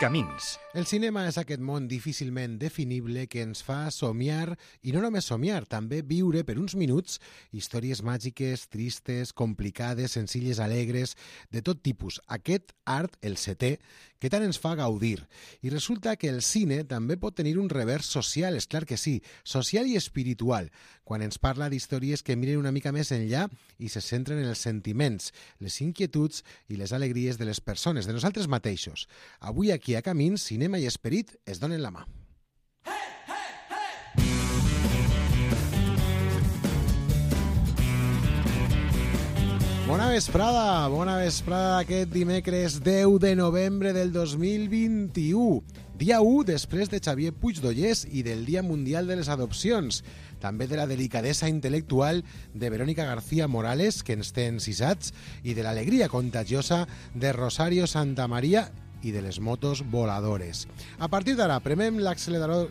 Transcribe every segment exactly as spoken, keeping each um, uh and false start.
Camins. El cinema és aquest món difícilment definible que ens fa somiar, i no només somiar, també viure per uns minuts històries màgiques, tristes, complicades, senzilles, alegres, de tot tipus. Aquest art, el setè, que tant ens fa gaudir. I resulta que el cine també pot tenir un revers social, és clar que sí, social i espiritual, quan ens parla d'històries que miren una mica més enllà i se centren en els sentiments, les inquietuds i les alegries de les persones, de nosaltres mateixos. Avui aquí a Camins, cinema i esperit es donen la mà. Bona vesprada, bona vesprada aquest dimecres deu de novembre del dos mil vint-i-u. Dia u després de Xavier Puigdollers i del Dia Mundial de les Adopcions. També de la delicadesa intel·lectual de Verónica García Morales, que ens té encisats, i de l'alegria contagiosa de Rosario Santamaría i de les motos voladores. A partir d'ara, premem l'accelerador...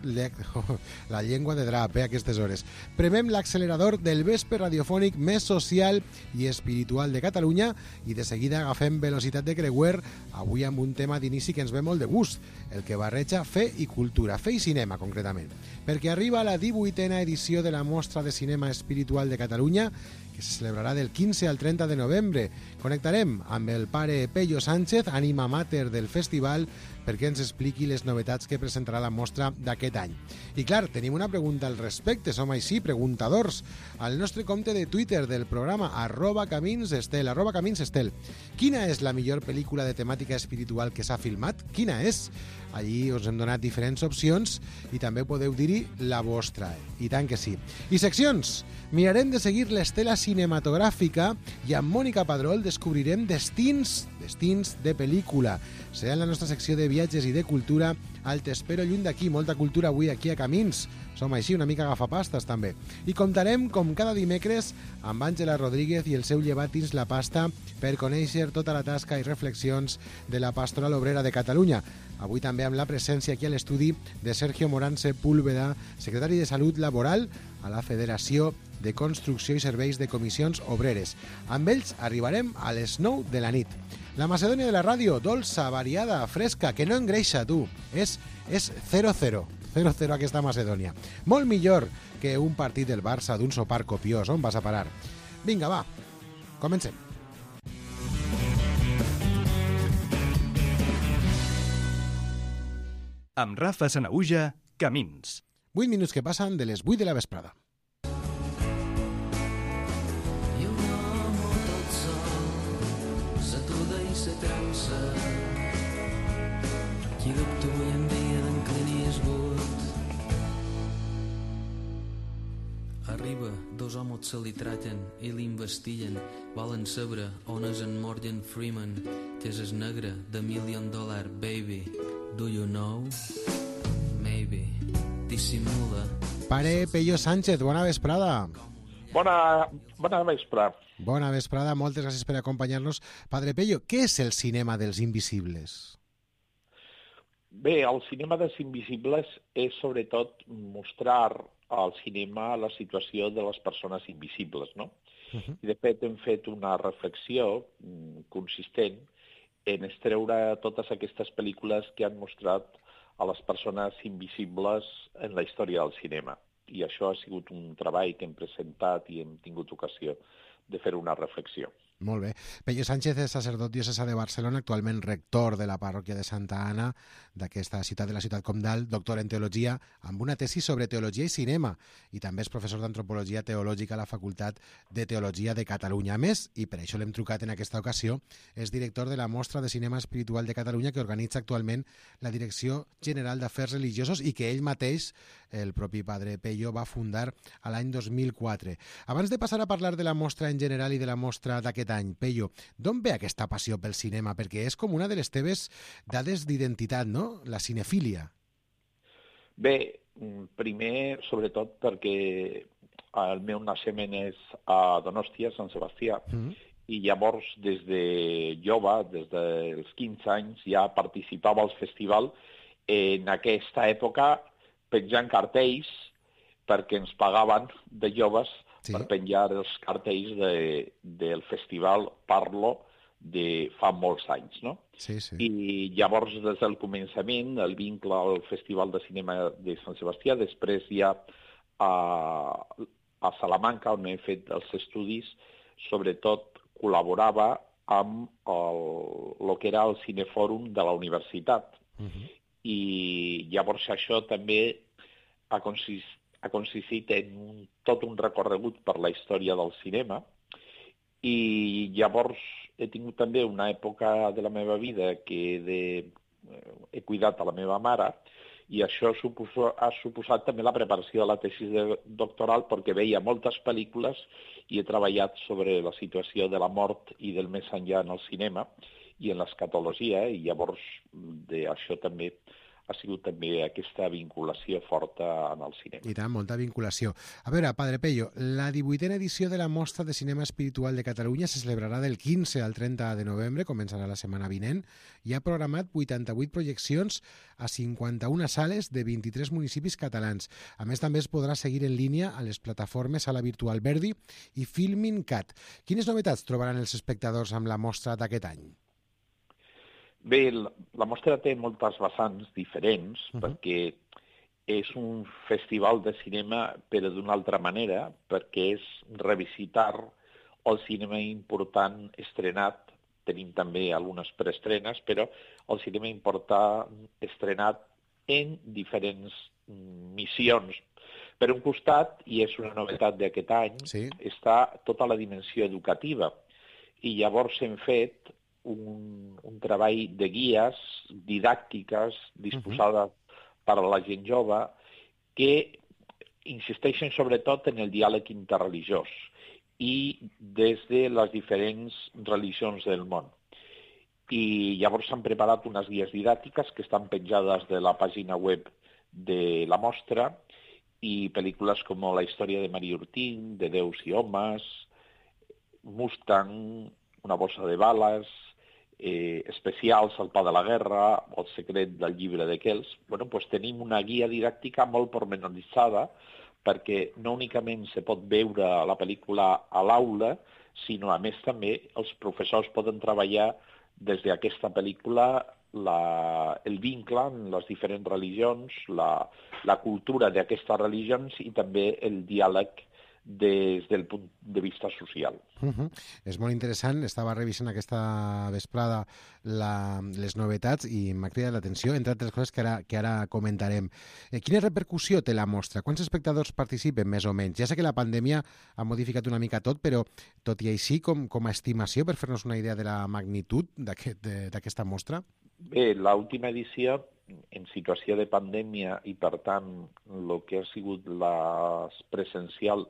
La llengua de drap, eh, a aquestes hores. Premem l'accelerador del vespre radiofònic més social i espiritual de Catalunya i de seguida agafem velocitat de creuer, avui amb un tema d'inici que ens ve molt de gust, el que barreja fe i cultura, fe i cinema, concretament. Perquè arriba la divuitena edició de la Mostra de Cinema Espiritual de Catalunya, que se celebrarà del quinze al trenta de novembre. Connectarem amb el pare Pello Sánchez, ànima mater del festival, perquè ens expliqui les novetats que presentarà la mostra d'aquest any. I clar, tenim una pregunta al respecte, som així, preguntadors, al nostre compte de Twitter del programa, arroba caminsestel, arroba caminsestel. Quina és la millor pel·lícula de temàtica espiritual que s'ha filmat? Quina és? Allí us hem donat diferents opcions i també podeu dir-hi la vostra. I tant que sí. I seccions? Mirarem de seguir l'estela cinematogràfica i amb Mònica Padrol descobrirem destins, destins de pel·lícula. Serà en la nostra secció de viatges i de cultura al T'espero lluny d'aquí. Molta cultura avui aquí a Camins. Som així, una mica agafapastes també. I comptarem, com cada dimecres, amb Àngela Rodríguez i el seu llevatins La Pasta per conèixer tota la tasca i reflexions de la Pastoral Obrera de Catalunya. Avui també amb la presència aquí a l'estudi de Sergio Morán Sepúlveda, secretari de Salut Laboral a la Federació de Construcció i Serveis de Comissions Obreres. Amb ells arribarem a les nou de la nit. La Macedònia de la ràdio, dolça, variada, fresca, que no engreixa, tu. És, és zero zero. zero zero aquesta Macedònia. Molt millor que un partit del Barça d'un sopar copiós. On vas a parar? Vinga, va, comencem. Amb Rafa Sanaüja, Camins. vuit minuts que passen de les vuit de la vesprada. Se trança qui dubta avui en dia d'en Clint Eastwood. Arriba, dos homes se li traten i l'investiguen, volen saber on és en Morgan Freeman, que és el negre de Million Dollar Baby. Do you know? Maybe. Dissimula. Pare Pello Sánchez, bona vesprada. Bona, bona vesprada. Bona vesprada, moltes gràcies per acompanyar-nos. Padre Pello, què és el cinema dels invisibles? Bé, el cinema dels invisibles és sobretot mostrar al cinema la situació de les persones invisibles, no? Uh-huh. I de fet hem fet una reflexió consistent en extreure totes aquestes pel·lícules que han mostrat a les persones invisibles en la història del cinema. I això ha sigut un treball que hem presentat i hem tingut ocasió de fer una reflexió. Molt bé. Pello Sánchez és sacerdot diocesà de Barcelona, actualment rector de la parròquia de Santa Anna, d'aquesta ciutat de la ciutat comtal, doctor en teologia, amb una tesi sobre teologia i cinema, i també és professor d'antropologia teològica a la Facultat de Teologia de Catalunya. A més, i per això l'hem trucat en aquesta ocasió, és director de la Mostra de Cinema Espiritual de Catalunya, que organitza actualment la Direcció General d'Afers Religiosos i que ell mateix, el propi padre Pello, va fundar a l'any dos mil quatre. Abans de passar a parlar de la mostra en general i de la mostra d'aquest any, Pello, d'on ve aquesta passió pel cinema? Perquè és com una de les teves dades d'identitat, no? La cinefília. Bé, primer, sobretot, perquè el meu naixement és a Donòstia, Sant Sebastià, mm. i llavors, des de jove, des dels quinze anys, ja participava al festival. En aquesta època, penjant cartells, perquè ens pagaven de joves, sí, per penjar els cartells de, del festival Parlo de fa molts anys, no? Sí, sí. I llavors, des del començament, el vincle al Festival de Cinema de Sant Sebastià, després ja a, a Salamanca, on he fet els estudis, sobretot col·laborava amb el, el que era el Cinefòrum de la universitat. Uh-huh. I llavors això també ha consistit, ha consistit en un, tot un recorregut per la història del cinema, i llavors he tingut també una època de la meva vida que he, de, he cuidat a la meva mare, i això suposo, ha suposat també la preparació de la tesi de doctoral, perquè veia moltes pel·lícules i he treballat sobre la situació de la mort i del més enllà en el cinema i en l'escatologia, i llavors d'això també ha sigut també aquesta vinculació forta en el cinema. I tant, molta vinculació. A veure, Padre Pello, la divuitena edició de la Mostra de Cinema Espiritual de Catalunya se celebrarà del quinze al trenta de novembre, començarà la setmana vinent, i ha programat vuitanta-vuit projeccions a cinquanta-una sales de vint-i-tres municipis catalans. A més, també es podrà seguir en línia a les plataformes Sala Virtual Verdi i Filmin Cat. Quines novetats trobaran els espectadors amb la mostra d'aquest any? Bé, la mostra té moltes vessants diferents, uh-huh. perquè és un festival de cinema, però d'una altra manera, perquè és revisitar el cinema important estrenat. Tenim també algunes preestrenes, però el cinema important estrenat en diferents missions. Per un costat, i és una novetat d'aquest any, sí. està tota la dimensió educativa. I llavors hem fet Un, un treball de guies didàctiques disposades uh-huh. per a la gent jove que insisteixen sobretot en el diàleg interreligiós i des de les diferents religions del món. I llavors s'han preparat unes guies didàctiques que estan penjades de la pàgina web de la mostra, i pel·lícules com La història de Maria Ortín, de Déus i homes, Mustang, Una bossa de bales, Eh, especials, El pa de la guerra, El secret del llibre de Kells. Bueno, pues tenim una guia didàctica molt pormenoritzada, perquè no únicament se pot veure la pel·lícula a l'aula, sinó a més també els professors poden treballar des d'aquesta pel·lícula la, el vincle en les diferents religions, la, la cultura d'aquestes religions i també el diàleg des del punt de vista social. Uh-huh. És molt interessant. Estava revisant aquesta vesprada la, les novetats i m'ha cridat l'atenció, entre altres coses que ara, que ara comentarem. Eh, quina repercussió té la mostra? Quants espectadors participen, més o menys? Ja sé que la pandèmia ha modificat una mica tot, però tot i així, com, com a estimació, per fer-nos una idea de la magnitud d'aquesta aquest, mostra? Bé, l'última edició, en situació de pandèmia, i per tant el que ha sigut la presencial,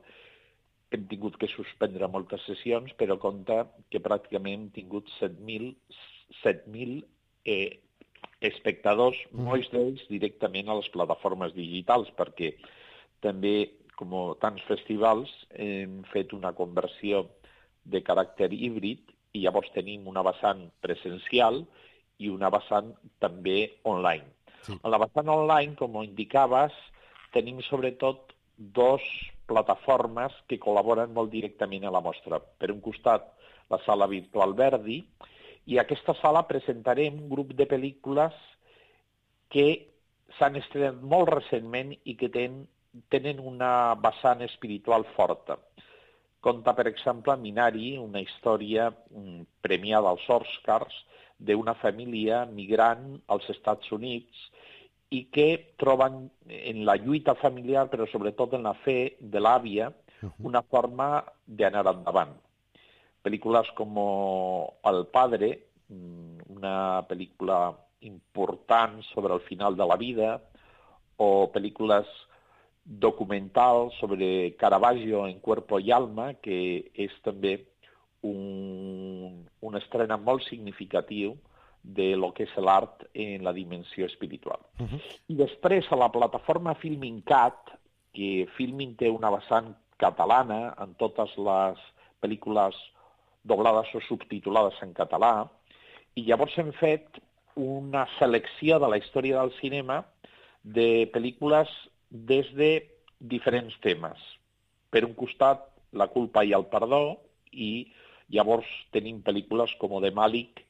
hem tingut que suspendre moltes sessions, però compta que pràcticament hem tingut set mil eh, espectadors, mm. molts d'ells directament a les plataformes digitals, perquè també, com tants festivals, hem fet una conversió de caràcter híbrid i llavors tenim una vessant presencial i una vessant també online. Sí. En la vessant online, com indicaves, tenim sobretot dos plataformes que col·laboren molt directament a la mostra. Per un costat, la Sala Virtual Verdi, i a aquesta sala presentarem un grup de pel·lícules que s'han estrenat molt recentment i que ten, tenen una vessant espiritual forta. Conta, per exemple, Minari, una història premiada als Oscars d'una família migrant als Estats Units i que troben en la lluita familiar, però sobretot en la fe de l'àvia, una forma d'anar endavant. Pel·lícules com El Padre, una pel·lícula important sobre el final de la vida, o pel·lícules documentals sobre Caravaggio en Cuerpo y Alma, que és també un, una estrena molt significatiu de lo que és l'art en la dimensió espiritual. Uh-huh. I després, a la plataforma Filmin Cat, que Filmin té una vessant catalana en totes les pel·lícules doblades o subtitulades en català, i llavors hem fet una selecció de la història del cinema de pel·lícules des de diferents temes. Per un costat, la culpa i el perdó, i Llavors tenim pel·lícules com The Malik,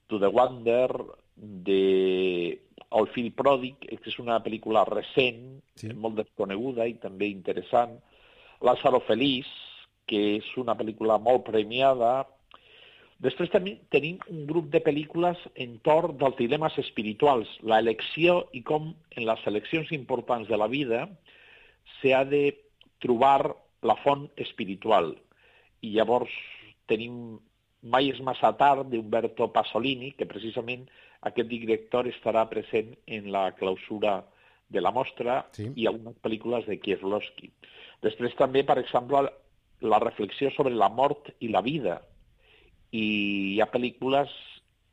To the Wonder, de El fill pròdig, que és una pel·lícula recent, sí. molt desconeguda i també interessant. Lázaro Feliç, que és una pel·lícula molt premiada. Després també tenim un grup de pel·lícules entorn dels dilemes espirituals, la elecció i com en les eleccions importants de la vida s'ha de trobar la font espiritual. I llavors tenim Mai és massa tard, d'Umberto Pasolini, que precisament aquest director estarà present en la clausura de la mostra, sí. i algunes pel·lícules de Kieslowski. Després també, per exemple, la reflexió sobre la mort i la vida. I hi ha pel·lícules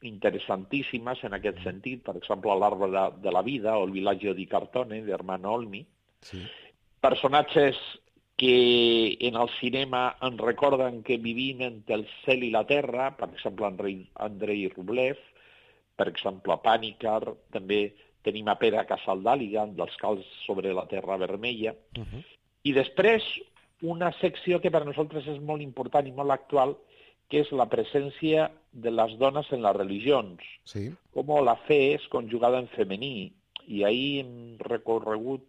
interessantíssimes en aquest sentit, per exemple, L'Arbre de, de la vida o El villaggio di Cartone, d'Ermanno Olmi. Sí. Personatges que en el cinema ens recorden que vivim entre el cel i la terra, per exemple, Andrei Rublev, per exemple, Pànicar, també tenim a Pere Casaldàliga, dels Cals sobre la terra vermella. Uh-huh. I després, una secció que per nosaltres és molt important i molt actual, que és la presència de les dones en les religions. Sí. Com la fe és conjugada en femení. I ahir hem recorregut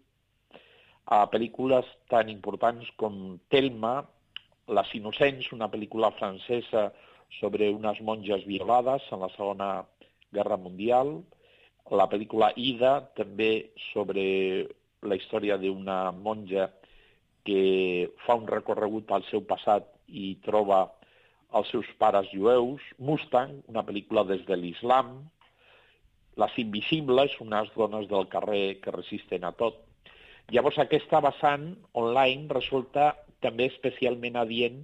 a pel·lícules tan importants com Thelma, Les Innocents, una pel·lícula francesa sobre unes monges violades en la Segona Guerra Mundial, la pel·lícula Ida, també sobre la història d'una monja que fa un recorregut al seu passat i troba els seus pares jueus, Mustang, una pel·lícula des de l'islam, Les Invisibles, unes dones del carrer que resisten a tot. Llavors, aquesta vessant online resulta també especialment adient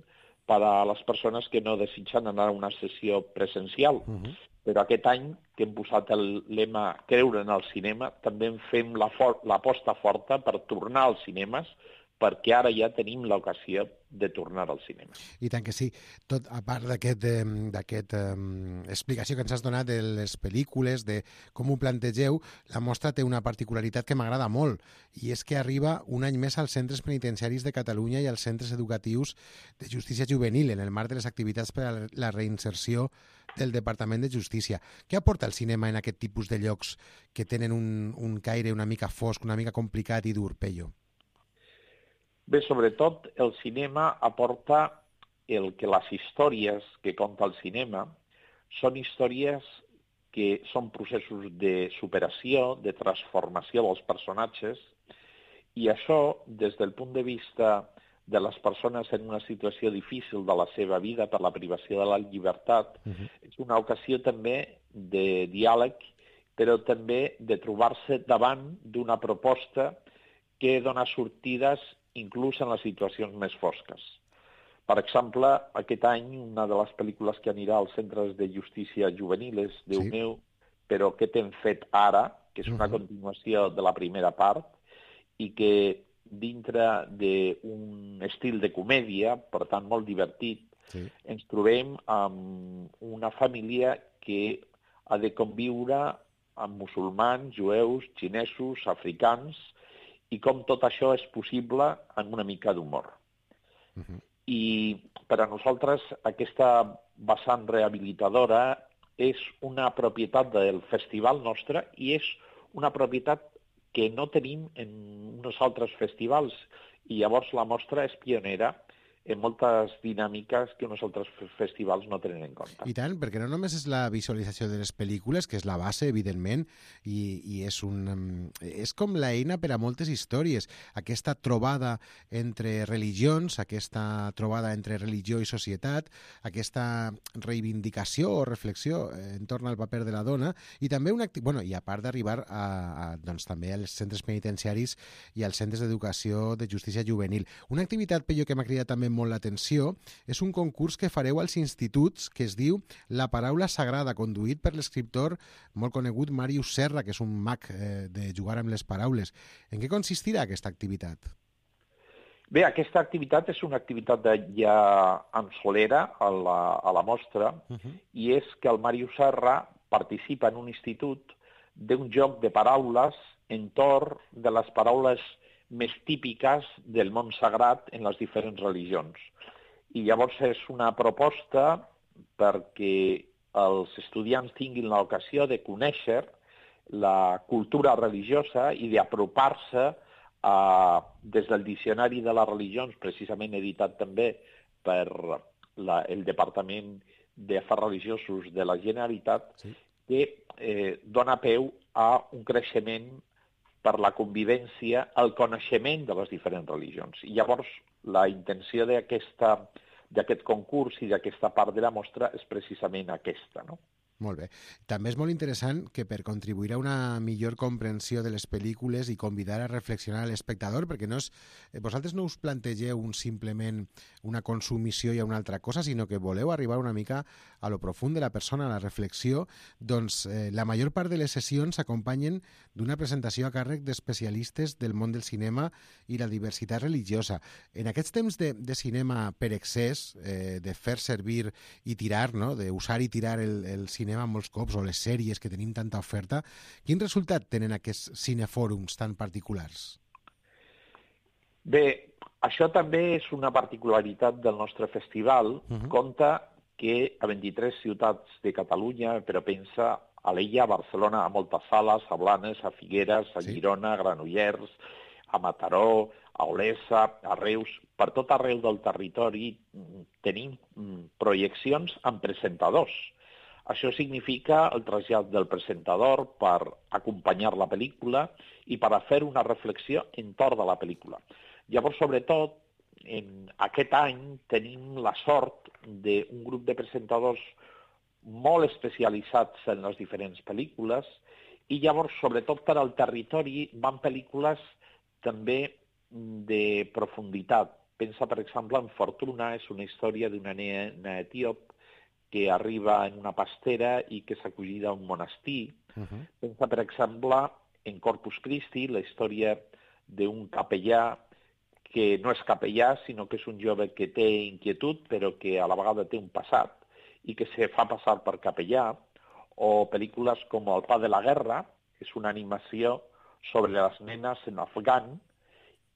per a les persones que no desitgen anar a una sessió presencial. Uh-huh. Però aquest any, que hem posat el lema Creure en el cinema, també en fem l'aposta forta per tornar als cinemes, perquè ara ja tenim l'ocasió de tornar al cinema. I tant que sí. Tot, a part d'aquesta um, explicació que ens has donat de les pel·lícules, de com ho plantegeu, la mostra té una particularitat que m'agrada molt, i és que arriba un any més als centres penitenciaris de Catalunya i als centres educatius de justícia juvenil, en el marc de les activitats per a la reinserció del Departament de Justícia. Què aporta el cinema en aquest tipus de llocs que tenen un, un caire una mica fosc, una mica complicat i dur, Pello? Bé, sobretot el cinema aporta el que les històries que conta el cinema són històries que són processos de superació, de transformació dels personatges, i això, des del punt de vista de les persones en una situació difícil de la seva vida per la privació de la llibertat, uh-huh. és una ocasió també de diàleg, però també de trobar-se davant d'una proposta que dona sortides inclús en les situacions més fosques. Per exemple, aquest any, una de les pel·lícules que anirà als centres de justícia juvenil és Déu sí. meu, però què t'hem fet ara?, que és una uh-huh. continuació de la primera part, i que dintre d'un estil de comèdia, per tant molt divertit, sí. ens trobem amb una família que ha de conviure amb musulmans, jueus, xinesos, africans, i com tot això és possible en una mica d'humor. Uh-huh. I per a nosaltres aquesta vessant rehabilitadora és una propietat del festival nostre i és una propietat que no tenim en uns altres festivals, i llavors la mostra és pionera en moltes dinàmiques que uns altres festivals no tenen en compte. I tant, perquè no només és la visualització de les pel·lícules, que és la base, evidentment, i, i és, un, és com l'eina per a moltes històries. Aquesta trobada entre religions, aquesta trobada entre religió i societat, aquesta reivindicació o reflexió entorn al paper de la dona, i també una, bueno, i a part d'arribar a, a, doncs, també als centres penitenciaris i als centres d'educació de justícia juvenil. Una activitat, Pello, que m'ha cridat també molt l'atenció, és un concurs que fareu als instituts que es diu La paraula sagrada, conduït per l'escriptor molt conegut Màrius Serra, que és un mag eh, de jugar amb les paraules. En què consistirà aquesta activitat? Bé, aquesta activitat és una activitat de ja en solera a la, a la mostra, uh-huh. i és que el Màrius Serra participa en un institut d'un joc de paraules entorn de les paraules més típiques del món sagrat en les diferents religions. I llavors és una proposta perquè els estudiants tinguin l'ocasió de conèixer la cultura religiosa i d'apropar-se a, des del Diccionari de les Religions, precisament editat també per la, el Departament d'Afers Religiosos de la Generalitat, sí. que eh, dona peu a un creixement per la convivència, el coneixement de les diferents religions. I llavors la intenció d'aquesta d'aquest concurs i d'aquesta part de la mostra és precisament aquesta, no? Molt bé. També és molt interessant que per contribuir a una millor comprensió de les pel·lícules i convidar a reflexionar a l'espectador, perquè no és, vosaltres no us plantegeu un, simplement una consumició i a una altra cosa, sinó que voleu arribar una mica a lo profund de la persona, a la reflexió, doncs eh, la major part de les sessions s'acompanyen d'una presentació a càrrec d'especialistes del món del cinema i la diversitat religiosa. En aquests temps de, de cinema per excés, eh, de fer servir i tirar, no? D'usar i tirar el, el cinema cinema molts cops, o les sèries que tenim tanta oferta, quin resultat tenen aquests cinefòrums tan particulars? Bé, això també és una particularitat del nostre festival. Uh-huh. Compta que a vint-i-tres ciutats de Catalunya, però pensa a l'Illa, a Barcelona, a moltes sales, a Blanes, a Figueres, a sí. Girona, a Granollers, a Mataró, a Olesa, a Reus, per tot arreu del territori tenim projeccions amb presentadors. Això significa el trasllat del presentador per acompanyar la pel·lícula i per a fer una reflexió entorn de la pel·lícula. Llavors, sobretot, en aquest any tenim la sort d'un grup de presentadors molt especialitzats en les diferents pel·lícules i llavors, sobretot per al territori, van pel·lícules també de profunditat. Pensa, per exemple, en Fortuna, és una història d'una nena etíop que arriba en una pastera i que s'acogida a un monestir. Uh-huh. Pensa, per exemple, en Corpus Christi, la història d'un capellà que no és capellà, sinó que és un jove que té inquietud, però que a la vegada té un passat i que se fa passar per capellà, o pel·lícules com El pa de la guerra, que és una animació sobre les nenes en afgan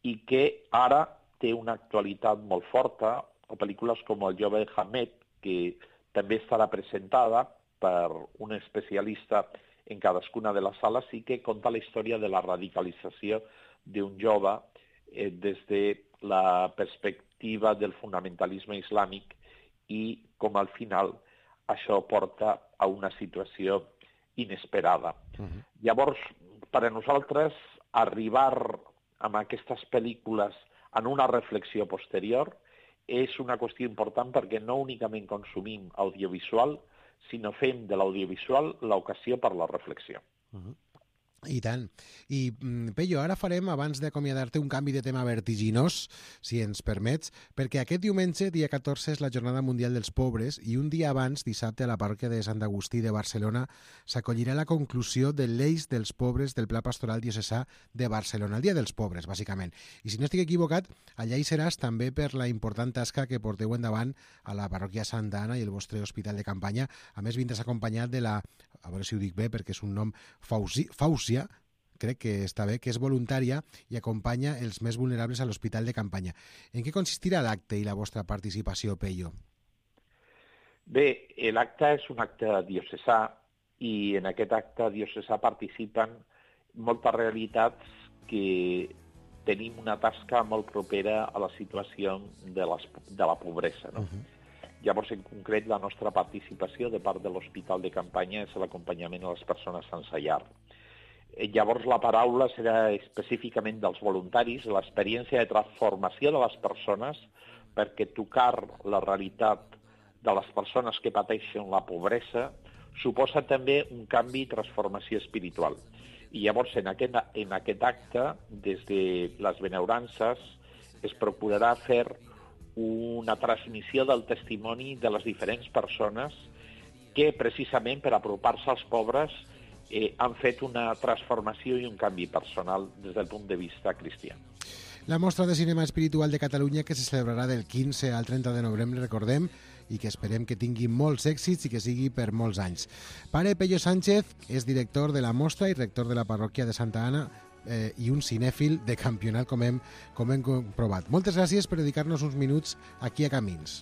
i que ara té una actualitat molt forta, o pel·lícules com El jove Hamed, que també estarà presentada per un especialista en cadascuna de les sales i que conta la història de la radicalització d'un jove eh, des de la perspectiva del fonamentalisme islàmic i com al final això porta a una situació inesperada. Uh-huh. Llavors, per a nosaltres, arribar amb aquestes pel·lícules en una reflexió posterior és una qüestió important perquè no únicament consumim audiovisual, sinó fem de l'audiovisual l'ocasió per la reflexió. Uh-huh. I tant. I, Pello, ara farem, abans d'acomiadar-te, un canvi de tema vertiginós, si ens permets, perquè aquest diumenge, dia catorze, és la Jornada Mundial dels Pobres i un dia abans, dissabte, a la parròquia de Sant Agustí de Barcelona, s'acollirà la conclusió de l'Eix dels Pobres del Pla Pastoral Diocesà de Barcelona, el Dia dels Pobres, bàsicament. I si no estic equivocat, allà hi seràs també per la important tasca que porteu endavant a la parròquia Santa Anna i el vostre hospital de campanya. A més, vindràs acompanyat de la, a veure si ho dic bé, perquè és un nom Fausi, Fausi crec que està bé, que és voluntària i acompanya els més vulnerables a l'hospital de campanya. En què consistirà l'acte i la vostra participació, Pello? Bé, l'acte és un acte diocesà i en aquest acte diocesà participen moltes realitats que tenim una tasca molt propera a la situació de, les, de la pobresa, no? Uh-huh. Llavors, en concret, la nostra participació de part de l'hospital de campanya és l'acompanyament a les persones sense llar. Llavors la paraula serà específicament dels voluntaris, l'experiència de transformació de les persones perquè tocar la realitat de les persones que pateixen la pobresa suposa també un canvi i transformació espiritual. I llavors en aquest, en aquest acte, des de les benaurances, es procurarà fer una transmissió del testimoni de les diferents persones que precisament per apropar-se als pobres Eh, han fet una transformació i un canvi personal des del punt de vista cristià. La Mostra de Cinema Espiritual de Catalunya, que se celebrarà del quinze al trenta de novembre, recordem, i que esperem que tingui molts èxits i que sigui per molts anys. Pare Pello Sánchez és director de la Mostra i rector de la parròquia de Santa Anna eh, i un cinèfil de campionat, com hem, com hem comprovat. Moltes gràcies per dedicar-nos uns minuts aquí a Camins.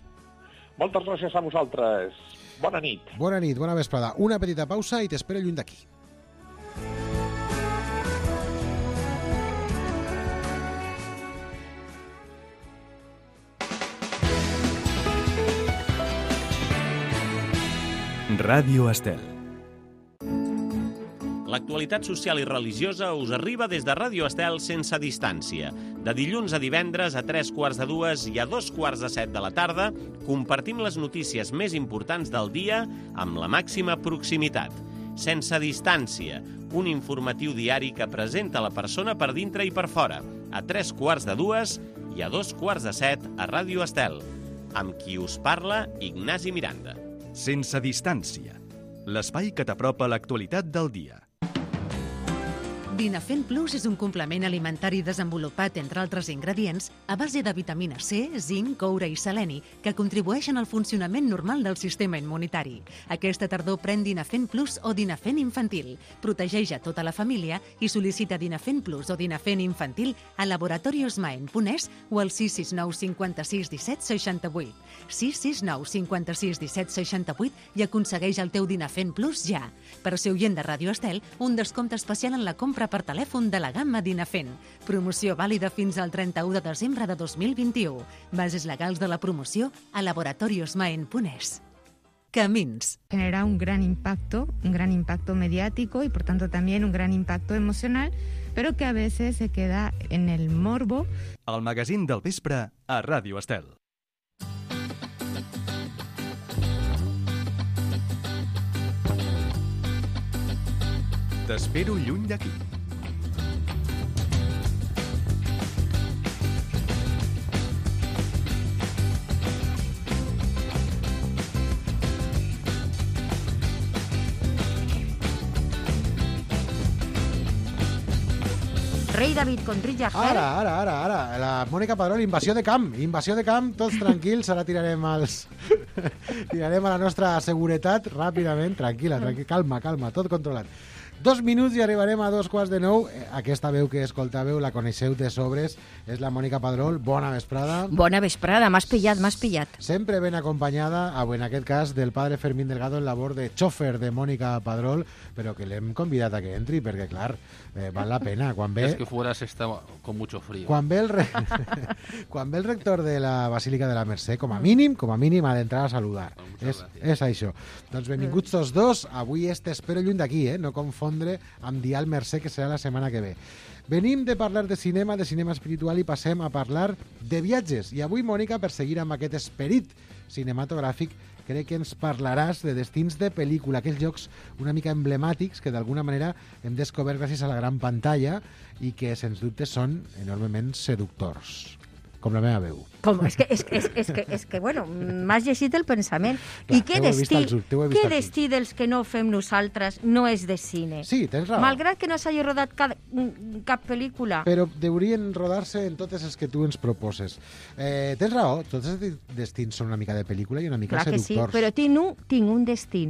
Moltes gràcies a vosaltres. Bona nit. Bona nit, bona vesprada. Una petita pausa i t'espero lluny d'aquí. Ràdio Estel. L'actualitat social i religiosa us arriba des de Ràdio Estel sense distància. De dilluns a divendres a tres quarts de dues i a dos quarts de set de la tarda compartim les notícies més importants del dia amb la màxima proximitat. Sense distància, un informatiu diari que presenta la persona per dintre i per fora, a tres quarts de dues i a dos quarts de set a Ràdio Estel. Amb qui us parla, Ignasi Miranda. Sense distància. L'espai que t'apropa l'actualitat del dia. Dinafen Plus és un complement alimentari desenvolupat, entre altres ingredients, a base de vitamina C, zinc, coure i seleni, que contribueixen al funcionament normal del sistema immunitari. Aquesta tardor pren Dinafen Plus o Dinafen Infantil. Protegeix a tota la família i sol·licita Dinafen Plus o Dinafen Infantil a Laboratorios Maen punt es o al sis sis nou cinquanta-sis disset seixanta-vuit. sis sis nou cinquanta-sis disset seixanta-vuit i aconsegueix el teu Dinafen Plus ja. Per ser oient de Ràdio Estel, un descompte especial en la compra per telèfon de la gamma Dinafen. Promoció vàlida fins al trenta-u de desembre de dos mil vint-i-u. Bases legals de la promoció a laboratorios maen punt es. Camins. Genera un gran impacto, un gran impacto mediático y por tanto también un gran impacto emocional, pero que a veces se queda en el morbo. El magazín del vespre a Ràdio Estel. T'espero lluny d'aquí. Rei David Contrilla Gel. Ara, ara, ara, ara. La Mònica Padrol, invasió de camp. Invasió de camp, tots tranquils. Ara tirarem els... tirarem a la nostra seguretat ràpidament. Tranquil·la, tranquil·la. Calma, calma, tot controlat. Dos minuts i arribarem a dos quarts de nou. Aquesta veu que escoltàveu la coneixeu de sobres. És la Mònica Padrol. Bona vesprada. Bona vesprada, m'has pillat, m'has pillat. Sempre ben acompanyada, en aquest cas, del padre Fermín Delgado en labor de xòfer de Mònica Padrol, però que l'hem convidat a que entri, perquè, clar, eh, val la pena. Quan ve... Es que fuera se está con mucho frío. Quan ve, el re... quan ve el rector de la Basílica de la Mercè, com a mínim, com a mínim, ha d'entrar a saludar. És, és això. Doncs benvinguts tots dos. Avui este espero lluny d'aquí, eh? No confondre amb Dial Mercè, que serà la setmana que ve. Venim de parlar de cinema, de cinema espiritual, i passem a parlar de viatges. I avui, Mònica, per seguir amb aquest esperit cinematogràfic, crec que ens parlaràs de destins de pel·lícula, aquells llocs una mica emblemàtics que d'alguna manera hem descobert gràcies a la gran pantalla i que, sens dubte, són enormement seductors. Com la meva veu. Com? És que, és, és, és que, és que bueno, m'has llegit el pensament. Clar, I què destí, què destí dels que no fem nosaltres no és de cine? Sí, tens raó. Malgrat que no s'hagi rodat cap, cap pel·lícula. Però deurien rodar-se en totes les que tu ens proposes. Eh, tens raó, tots els destins són una mica de pel·lícula i una mica Clar seductors. Clar que sí, però tinc un, tinc un destí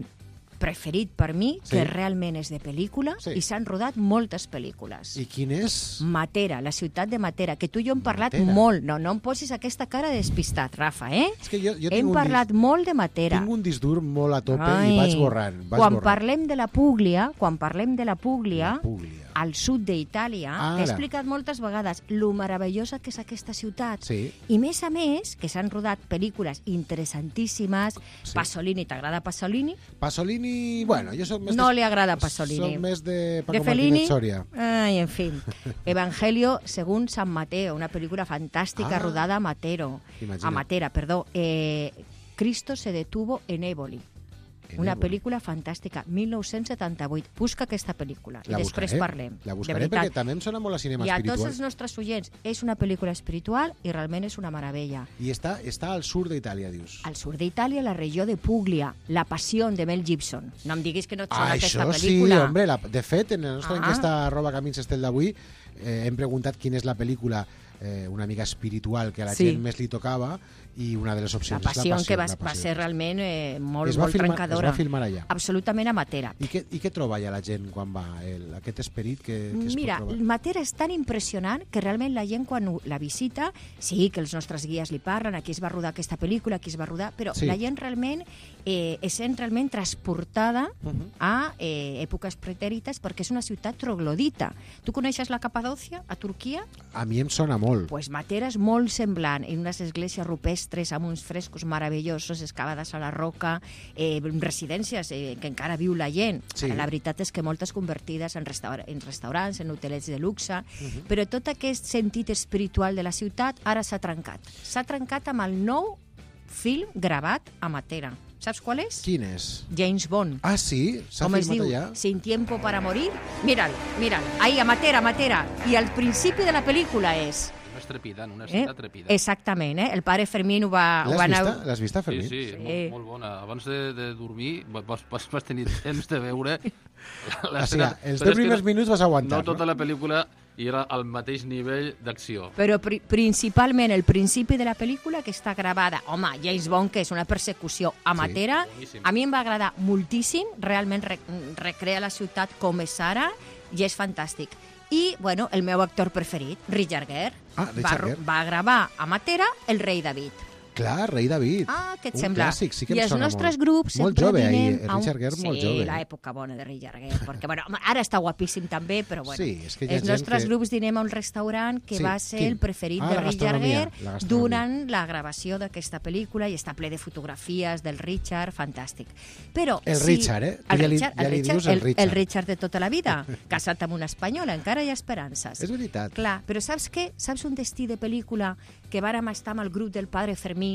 preferit per mi, sí, que realment és de pel·lícula, sí, i s'han rodat moltes pel·lícules. I quin és? Matera, la ciutat de Matera, que tu i jo hem parlat Matera. molt. No, no em posis aquesta cara de despistat, Rafa, eh? És que jo, jo hem parlat disc... molt de Matera. Tinc un disc dur molt a tope. Ai, i vaig borrant. Vaig quan borrant. parlem de la Púglia, quan parlem de la Púglia, la Púglia. al sud d'Itàlia, Ara. t'he explicat moltes vegades lo meravellosa que és aquesta ciutat. Sí. I més a més, que s'han rodat pel·lícules interessantíssimes. Sí. Pasolini, t'agrada Pasolini? Pasolini, bueno, jo soc més... No de... li agrada Pasolini. Soc més de Paco de Fellini? Martínez Soria. Ai, en fin. Evangelio según San Mateo, una pel·lícula fantàstica Ah. rodada a Matero. Imagina't. A Matera, perdó. Eh, Cristo se detuvo en Éboli. En Una Éboli. pel·lícula fantàstica, dinou setanta-vuit. Busca aquesta pel·lícula i La després buscaré, parlem. La de buscaré veritat. perquè també em sona molt a cinema I a espiritual. tots els nostres oients, és una pel·lícula espiritual i realment és una meravella. I està, està al sud d'Itàlia, dius. Al sud d'Itàlia, la regió de Puglia, La passió de Mel Gibson. No em diguis que no et sona Ah, aquesta això sí, pel·lícula. hombre. La, de fet, en la nostra Ah. enquesta arroba camins estel d'avui eh, hem preguntat quina és la pel·lícula eh, una amiga espiritual que a la Sí. gent més li tocava, i una de les La opcions passió, és la passió. que va, la va passió. ser realment eh, molt, Es va molt filmar- trencadora. es va filmar allà. Absolutament amatera. I què, i què troba allà la gent quan va? El, aquest esperit que, que es Mira, pot trobar? Matera és tan impressionant que realment la gent quan ho- la visita, sí que els nostres guies li parlen, aquí es va rodar aquesta pel·lícula, aquí es va rodar, però Sí. la gent realment eh, es sent realment transportada Uh -huh. a eh, èpoques pretèrites perquè és una ciutat troglodita. Tu coneixes la Capadòcia, a Turquia? A mi em sona molt. Pues Matera és molt semblant, en unes esglésies rupestres amb uns frescos meravellosos, excavades a la roca, eh, residències eh, que encara viu la gent. Sí. La veritat és que moltes convertides en, restaur en restaurants, en hotelets de luxe, Uh-huh. però tot aquest sentit espiritual de la ciutat ara s'ha trencat. S'ha trencat amb el nou film gravat a Matera. Saps qual és? Quin és? James Bond. Ah, sí? S'ha Com es filmat diu? allà? Sin tiempo para morir. Míralo, míralo. Ahí, a Matera, a Matera. I al principi de la pel·lícula és... Una estrepidant, una Eh? escena trepidant. Exactament, eh? El pare Fermín ho va... ho L'has va anar- vista? L'has vista, Sí, Fermín? sí, Sí. Molt, molt bona. Abans de, de dormir vas, vas, vas tenir temps de veure O sigui, els deu primers minuts vas aguantar, no? tota la pel·lícula i era al mateix nivell d'acció. Però pri principalment el principi de la pel·lícula, que està gravada, home, James Bond, que és una persecució amatera, boníssim. a mi em va agradar moltíssim, realment re recrea la ciutat com és ara, i és fantàstic. I, bueno, el meu actor preferit, Richard Gere, Ah, Richard va, Gere. va gravar a Matera El rei David. Clar, Rei David. Ah, què et Un sembla? clàssic, sí que I em els sona nostres molt. grups Molt sempre jove, ahir, vinem a un... Richard Gere molt sí, jove. l'època bona de Richard Gere, perquè bueno, ara està guapíssim també, però bueno. Sí, és que hi ha els gent nostres que- grups dinem a un restaurant que Sí, va ser quin? el preferit Ah, de la Richard gastronomia, Gere la gastronomia. durant la gravació d'aquesta pel·lícula, i està ple de fotografies del Richard, fantàstic. Però El si... Richard, eh? Tu El ja li- Richard, ja el li Richard, dius el el, Richard. el Richard de tota la vida, casat amb una espanyola, encara hi ha esperances. És veritat. Clar, però saps què? Saps un destí de pel·lícula que vàrem estar amb el grup del Padre Fermín,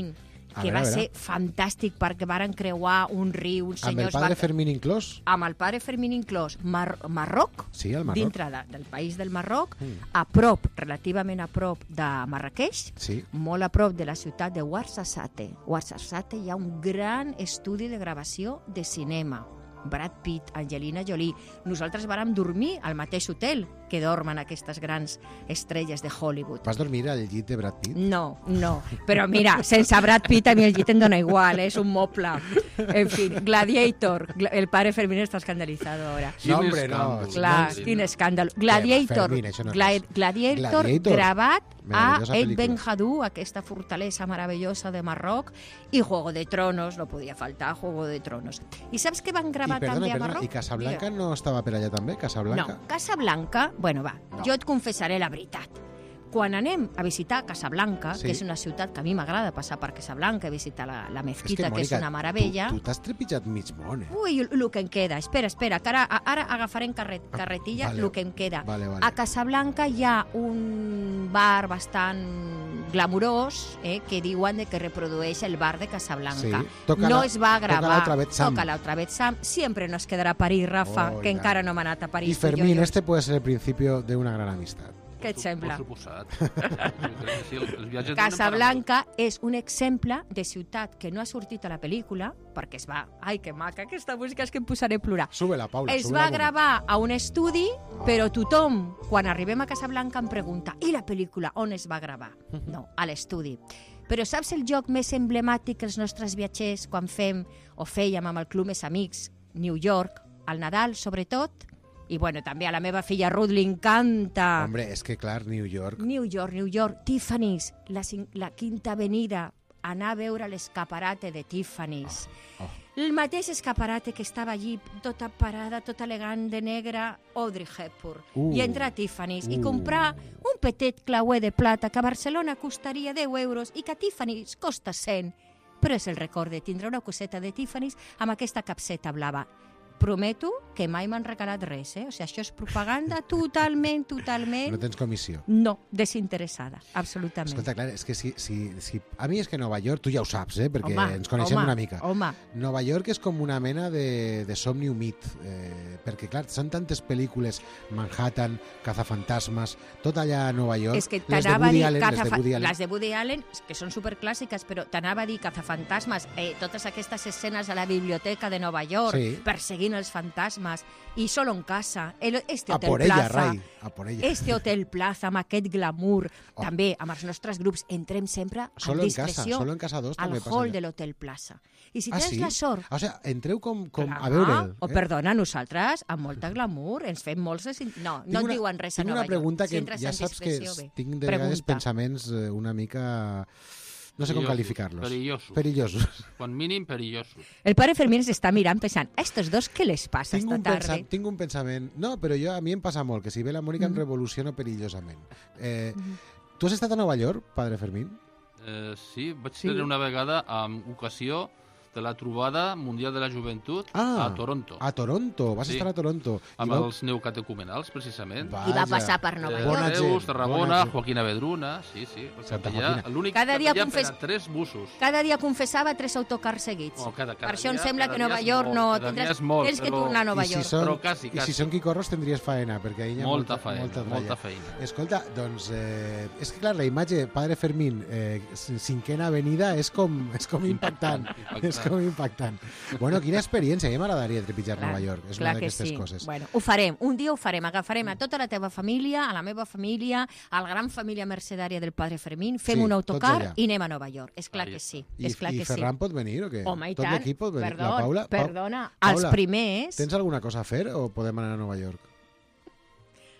A que veure, va a veure. ser fantàstic perquè varen creuar un riu, uns Amb el senyors... padre van- Fermín inclòs? amb el Padre Fermín inclòs, Mar Marroc, Sí, el Marroc. dintre de, del país del Marroc, Mm. a prop, relativament a prop de Marrakeix, Sí. molt a prop de la ciutat de Ouarzazate. Ouarzazate hi ha un gran estudi de gravació de cinema. Brad Pitt, Angelina Jolie. Nosaltres vàrem dormir al mateix hotel que dormen aquestes grans estrelles de Hollywood. Vas dormir al llit de Brad Pitt? No, no. Però mira, sense Brad Pitt a mi el llit em dona igual, eh? És un moble. En fi, Gladiator. Gla- El padre Fermín està escandalitzado ahora. No, hombre, no. escàndol. Clar, Sí. quin escàndol. Gladiator, Fermín, això no és Gla res. Gladiator, Gladiator. gravat a Meravellosa El pel·lícula. Ben Hadou, aquesta fortalesa meravellosa de Marroc, i Juego de Tronos, no podia faltar Juego de Tronos. I saps què van I gravar perdona, també a perdona, Marroc? i Casablanca Digue'm. no estava per allà també? Casablanca? No, Casablanca, bueno, va, No. jo et confessaré la veritat. Quan anem a visitar Casablanca, Sí. que és una ciutat que a mi m'agrada passar per Casablanca, visitar la, la És mezquita, que, és Mònica, una meravella... Tu tu t'has trepitjat mig món, eh? Ui, el que em queda, espera, espera, que ara, ara agafarem carret, carretilla Vale. el que em queda. Vale, vale. A Casablanca hi ha un bar bastant glamurós eh, que diuen de que reprodueix el bar de Casablanca. Sí. Toca no la- es va toca gravar. la otra vez Sam. Toca la otra vez Sam. Siempre nos quedará a París, Rafa, Oh, que i encara tant. no m'ha anat a París. Y tu, jo, Fermín, jo. este puede ser el principio de una gran amistad. Què et sembla? Per suposat. Jo crec que sí, els viatges donen per a Casablanca és un exemple de ciutat que no ha sortit a la pel·lícula, perquè es va... Ai, que maca, aquesta música és que em posaré a plorar. Sube-la, Paula, Es sube-la va un moment. gravar a un estudi, però tothom, quan arribem a Casablanca, em pregunta i la pel·lícula, on es va gravar? No, a l'estudi. Però saps el joc més emblemàtic que els nostres viatgers, quan fem o fèiem amb el Club Més Amics, New York, al Nadal, sobretot, i bueno, també a la meva filla Ruth li encanta. Hombre, es que, clar, New York... New York, New York, Tiffany's, la, cin- la Quinta Avenida, anar a veure l'escaparate de Tiffany's. Oh. El mateix escaparate que estava allí, tota parada, tota elegant de negre, Audrey Hepburn. Uh. I entrar a Tiffany's i Uh. comprar un petit clauer de plata que a Barcelona costaria deu euros i que a Tiffany's costa cent. Però és el record de tindre una coseta de Tiffany's amb aquesta capseta blava. Prometo que mai m'han regalat res, eh? O sigui, això és propaganda totalment, totalment... No tens comissió. No, desinteressada, absolutament. Escolta, clar, és que si, si, si... A mi és que Nova York, tu ja ho saps, eh? Perquè Home, ens coneixem home, una mica. home. Nova York és com una mena de, de somni humit, eh, perquè, clar, són tantes pel·lícules, Manhattan, Cazafantasmes, tot allà a Nova York. És que les de t'anava a Woody dir Allen, les de cazafa- Woody Allen. les de Woody Allen, que són superclàssiques, però t'anava a dir cazafantasmes, eh, totes aquestes escenes a la biblioteca de Nova York, Sí. perseguint els fantasmes, fantasmas i solo en casa. El, este A Hotel por ella, Plaza, Rai, a por ella. este Hotel Plaza amb aquest glamour, Oh. també amb els nostres grups entrem sempre Solo amb en casa, discreció solo en casa dos al també passa hall allà. de l'Hotel Plaza. I si Ah, tens sí? la sort... O sigui, entreu com, com Clar, a veure'l. O, perdona, nosaltres, amb molta glamour, ens fem molts... desin- No, no et una, diuen res a tinc Nova una pregunta York. Si que entres ja en saps que discreció, bé. tinc de vegades Pregunta. pensaments eh, una mica... No sé com Perillosos, calificar-los. perillosos. Perillosos. Quan mínim, perillosos. El pare Fermín s'està mirant pensant, a estos dos què les passa Tinc esta un, pensa, tarda? tinc un pensament... No, però jo, a mi em passa molt, que si ve la Mònica Mm. em revoluciono perillosament. Eh, Mm. Tu has estat a Nova York, padre Fermín? Eh, sí, vaig Sí. tenir una vegada amb ocasió de la trobada mundial de la joventut Ah, a Toronto, A Toronto, vas Sí. estar a Toronto. amb I vau- els neocatecumenals, precisament. I va passar per Nova Eh, York. Bona Reus, gent, bona Tarragona, gent. Joaquín Avedruna, sí, sí. Santa Allà, Joaquina. L'únic Cada que dia havia confes- per a tres busos. Cada dia confessava tres autocars seguits. Oh, cada- cada per això em dia- sembla cada que Nova dia és York molt, no cada dia tindràs és molt, tens que però- tornar a Nova I si York. són, Però quasi, I quasi. si són quicorros tindries faena, perquè ahir hi ha Molta molta, feina, molta, molta tralla. feina. Escolta, doncs, eh, és que clar, la imatge Padre Fermín, eh, cinquena avenida, és com, és com impactant. Impactant. És com impactant. Bueno, quina experiència, a mi m'agradaria trepitjar Clar, Nova York, és clar una que d'aquestes sí. coses. Bueno, ho farem, un dia ho farem, agafarem a tota la teva família, a la meva família, a la gran família mercedària del Padre Fermín, fem Sí, un tots autocar allà. i anem a Nova York. És clar Ahí que està. sí, I, és clar i que Ferran sí. pot venir o què? Home, i Tot tant. l'equip pot venir. Perdó, la Paula, Pa- perdona, Paula, els primers, Tens alguna cosa a fer o podem anar a Nova York?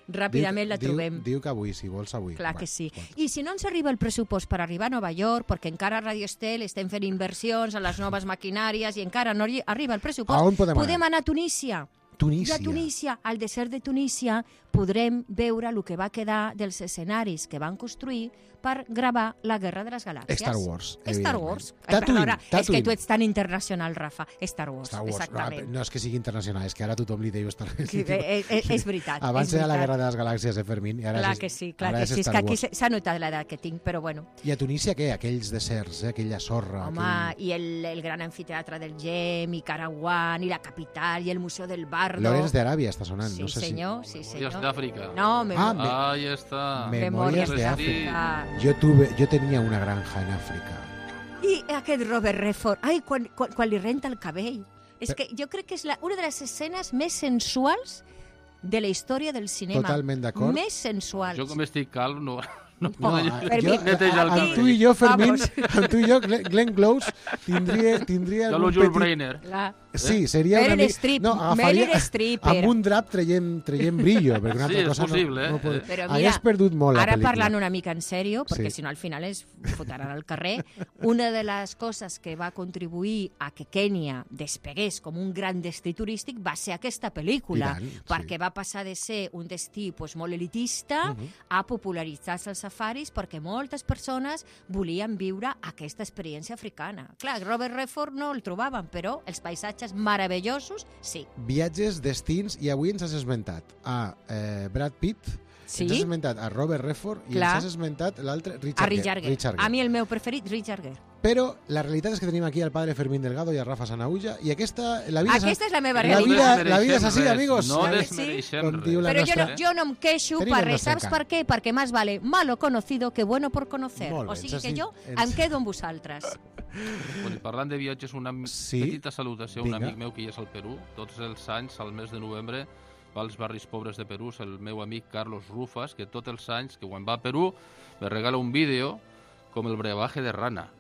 ràpidament la diu, trobem. Diu, diu que avui, si vols avui. Clar Va, que sí. escolta. I si no ens arriba el pressupost per arribar a Nova York, perquè encara a Radio Estel estem fent inversions en les noves maquinàries i encara no arri- arriba el pressupost, A on podem podem anar? anar a Tunísia. Tunísia. I a Tunísia, al desert de Tunísia, podrem veure el que va quedar dels escenaris que van construir per gravar la Guerra de les Galàxies. Star Wars, Star evidentment. Wars. Tatooine, Perdona, és Tatooine. que tu ets tan internacional, Rafa. Star Wars, Star Wars. exactament. No, no és que sigui internacional, és que ara tothom li diu Star Wars. Sí, és, és, és veritat. Abans és era la veritat. Guerra de les Galàxies, eh, Fermín? I ara Clar és, que sí, clar ara que és sí. És Star que aquí Wars. s'ha notat l'edat que tinc, però bueno. I a Tunísia què? Aquells deserts, eh? Aquella sorra. Home, aquell... i el, el gran anfiteatre del Gem, i Caraguán, i la capital, i el Museu del Bardo. Lorenz de Aràbia està sonant, Sí, no sé senyor, sí, Memòries senyor. d'Àfrica. No, me... Ah, me- Ahí està. Me- Memòries Memòries de d'Àfrica. si... Jo, tuve, jo tenia una granja en Àfrica. I aquest Robert Redford, ai, quan, quan, quan li renta el cabell. És Però- que jo crec que és la, una de les escenes més sensuals de la història del cinema. Totalment d'acord. Més sensuals. Jo com estic calb no... no, No, no, a- Fermín, jo, neteja el amb cabell. tu i jo, Fermín, Vamos. amb tu i jo, Glenn, Glenn Close, tindria, tindria Jo algun lo Jules petit... Brainer. La... Sí, seria Meryl una mica... Streep, No, agafaria Meryl Streep amb era. un drap traient, traient brillo, perquè una Sí, altra és cosa possible, no, eh? no pot... Però mira, Hagués perdut molt la ara pel·lícula. parlant una mica en sèrio, perquè Sí. si no al final es fotran al carrer, una de les coses que va contribuir a que Kènia despegués com un gran destí turístic va ser aquesta pel·lícula, I tant, sí. perquè va passar de ser un destí pues, molt elitista Mhm. a popularitzar-se els safaris perquè moltes persones volien viure aquesta experiència africana. Clar, Robert Redford no el trobaven, però els paisatges meravellosos, sí. Viatges, destins, i avui ens has esmentat a eh, Brad Pitt, Sí? ens has esmentat a Robert Redford i Clar. ens has esmentat l'altre, Richard, A Richard Gere. Richard Gere. A mi el meu preferit, Richard Gere. Però la realitat és que tenim aquí al padre Fermín Delgado i a Rafa Sanaulla, i aquesta... La vida Aquesta és la meva la realitat. vida, la vida és així, res, amigos. No La- desmereixem Com diu res. la Però jo nostra- no, jo no em queixo Tenim per el res. nostre Saps encant. per què? Perquè més vale malo conocido que bueno por conocer. Molt bé, O sigui ens has que dit- jo ens- em quedo amb vosaltres. Bueno, i parlant de viatges, una mi- Sí. petita salutació a un Vinga. amic meu que hi és al Perú. Tots els anys, al mes de novembre, va als barris pobres de Perú, és el meu amic Carlos Rufas, que tots els anys que quan va a Perú me regala un vídeo com el brebaje de rana.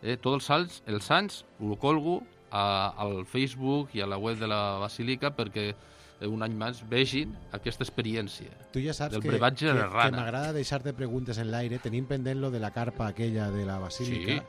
Eh, tots els anys, els anys ho colgo a, al Facebook i a la web de la Basílica perquè eh, un any més vegin aquesta experiència. Tu ja saps del que, brebatge que, de que rana. m'agrada deixar-te preguntes en l'aire, tenint pendent lo de la carpa aquella de la basílica, Sí.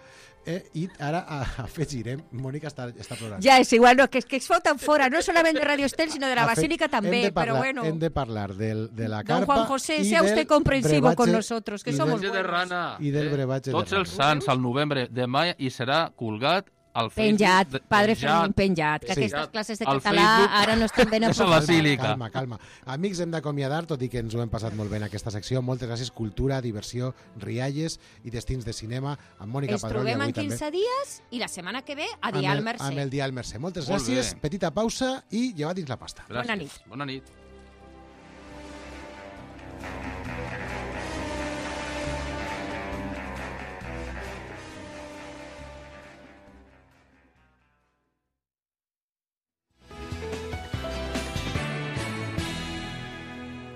eh, i ara a- afegirem, Mònica està, està plorant. Ja és igual, no, que, que es foten fora, no solament de Radio Estel, sinó de la Afe- Basílica hem també, de parlar, però bueno. Hem de parlar del, de la Don carpa Juan José, i sea del usted comprensivo con brebatge- nosotros, que i somos del- Brebatge de buenos. rana. I del eh? brebatge de Tots rana. els sants al novembre de maig i serà colgat al Facebook. Penjat, de- padre penjat. Fermín, penjat, que Sí. aquestes classes de Al català Facebook. ara no estan ben És a la aprofundades. Basílica. Calma, calma. Amics, hem d'acomiadar, tot i que ens ho hem passat molt bé en aquesta secció. Moltes gràcies. Cultura, diversió, rialles i destins de cinema amb Mònica Ens Padrón i trobem avui en també. quinze dies i la setmana que ve a Amb Dial el- Mercè. Amb el Dial Mercè. Moltes Molt gràcies. bé. Petita pausa i llevat dins la pasta. Gràcies. Bona nit. Bona nit.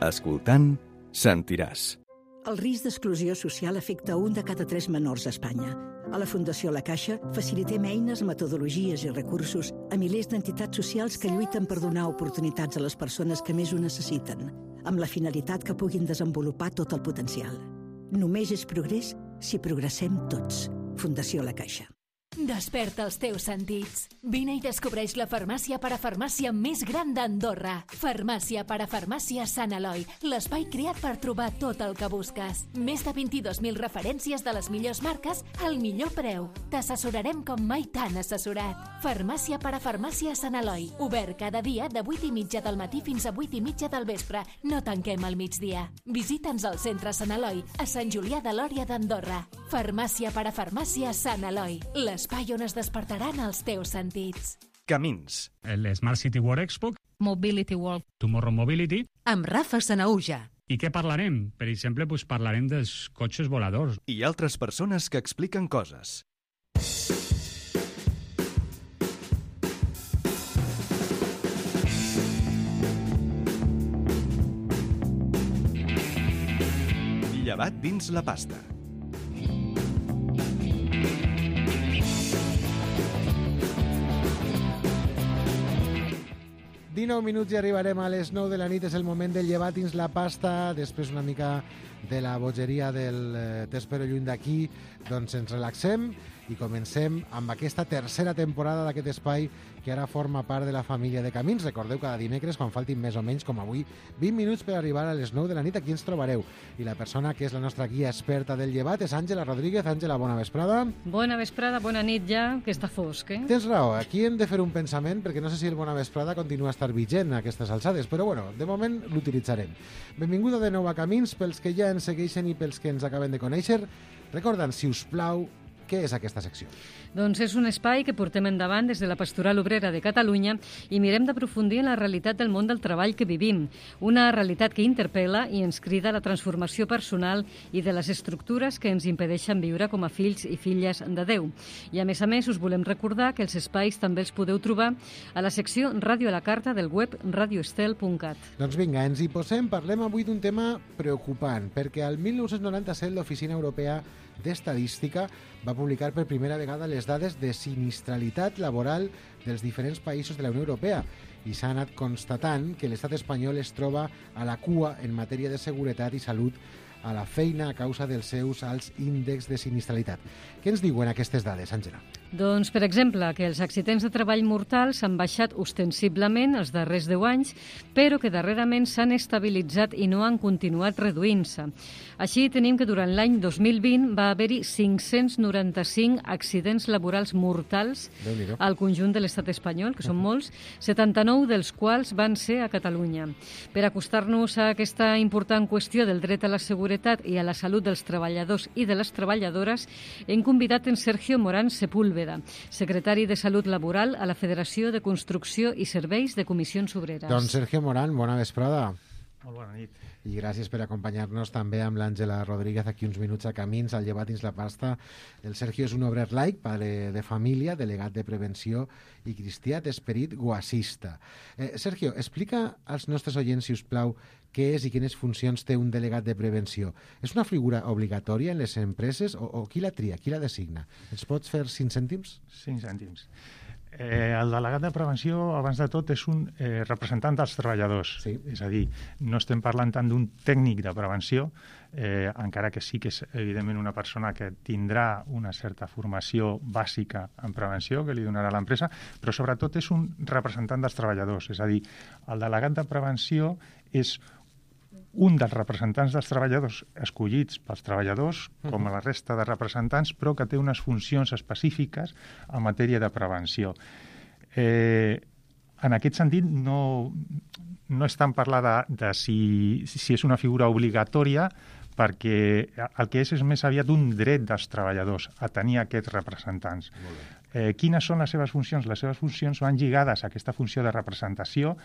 Escoltant, sentiràs. El risc d'exclusió social afecta un de cada tres menors a Espanya. A la Fundació La Caixa facilitem eines, metodologies i recursos a milers d'entitats socials que lluiten per donar oportunitats a les persones que més ho necessiten, amb la finalitat que puguin desenvolupar tot el potencial. Només és progrés si progressem tots. Fundació La Caixa. Desperta els teus sentits. Vine i descobreix la farmàcia parafarmàcia més gran d'Andorra. Farmàcia parafarmàcia Sant Eloi, l'espai creat per trobar tot el que busques. Més de vint-i-dos mil referències de les millors marques al millor preu. T'assessorarem com mai t'han assessorat. Farmàcia parafarmàcia Sant Eloi, obert cada dia de vuit i mitja del matí fins a vuit i mitja del vespre. No tanquem al migdia. Visita'ns al centre Sant Eloi, a Sant Julià de Lòria d'Andorra. Farmàcia parafarmàcia Sant Eloi, l'espai on es despertaran els teus sentits. Camins. El Smart City World Expo. Mobility World. Tomorrow Mobility. Amb Rafa Sanauja. I què parlarem? Per exemple, doncs parlarem dels cotxes voladors. I altres persones que expliquen coses. Llevat dins la pasta. dinou minuts i arribarem a les nou de la nit. És el moment del llevat dins la pasta. Després una mica de la bogeria del eh, T'espero lluny d'aquí. Doncs ens relaxem i comencem amb aquesta tercera temporada d'aquest espai que ara forma part de la família de Camins. Recordeu, cada dimecres, quan faltin més o menys, com avui, vint minuts per arribar a les nou de la nit, aquí ens trobareu. I la persona que és la nostra guia experta del llevat és Àngela Rodríguez. Àngela, bona vesprada. Bona vesprada, bona nit ja, que està fosc, eh? Tens raó, aquí hem de fer un pensament, perquè no sé si el bona vesprada continua a estar vigent a aquestes alçades, però bueno, de moment l'utilitzarem. Benvinguda de nou a Camins, pels que ja ens segueixen i pels que ens acaben de conèixer. Recorda'ns, si us plau, què és aquesta secció? Doncs és un espai que portem endavant des de la Pastoral Obrera de Catalunya i mirem d'aprofundir en la realitat del món del treball que vivim, una realitat que interpel·la i ens crida a la transformació personal i de les estructures que ens impedeixen viure com a fills i filles de Déu. I a més a més us volem recordar que els espais també els podeu trobar a la secció Ràdio a la Carta del web radio estel punt cat. Doncs vinga, ens hi posem, parlem avui d'un tema preocupant, perquè al mil nou-cents noranta-set l'Oficina Europea d'Estadística va publicar per primera vegada les dades de sinistralitat laboral dels diferents països de la Unió Europea i s'ha anat constatant que l'estat espanyol es troba a la cua en matèria de seguretat i salut a la feina a causa dels seus alts índexs de sinistralitat. Què ens diuen aquestes dades, Àngela? Doncs, per exemple, que els accidents de treball mortals han baixat ostensiblement els darrers deu anys, però que darrerament s'han estabilitzat i no han continuat reduint-se. Així, tenim que durant l'any dos mil vint va haver-hi cinc-cents noranta-cinc accidents laborals mortals al conjunt de l'estat espanyol, que són molts, setanta-nou dels quals van ser a Catalunya. Per acostar-nos a aquesta important qüestió del dret a la seguretat i a la salut dels treballadors i de les treballadores, hem convidat en Sergio Morán Sepúlveda, secretari de Salut Laboral a la Federació de Construcció i Serveis de Comissions Obreres. Doncs Sergio Morán, bona vesprada. Molt bona nit. I gràcies per acompanyar-nos també amb l'Àngela Rodríguez aquí uns minuts a Camins, al llevat dins la pasta. El Sergio és un obrer laic, pare de família, delegat de prevenció i cristià d'esperit guasista. Eh, Sergio, explica als nostres oients, si us plau, què és i quines funcions té un delegat de prevenció. És una figura obligatòria en les empreses o, o qui la tria, qui la designa? Ens pots fer cinc cèntims? Cinc cèntims. Eh, el delegat de prevenció, abans de tot, és un eh, representant dels treballadors. Sí. És a dir, no estem parlant tant d'un tècnic de prevenció, eh, encara que sí que és, evidentment, una persona que tindrà una certa formació bàsica en prevenció que li donarà l'empresa, però sobretot és un representant dels treballadors. És a dir, el delegat de prevenció és un dels representants dels treballadors escollits pels treballadors, com a la resta de representants, però que té unes funcions específiques en matèria de prevenció. Eh, en aquest sentit, no, no és tant parlar de, de si, si és una figura obligatòria, perquè el que és és més aviat un dret dels treballadors a tenir aquests representants. Eh, quines són les seves funcions? Les seves funcions van lligades a aquesta funció de representació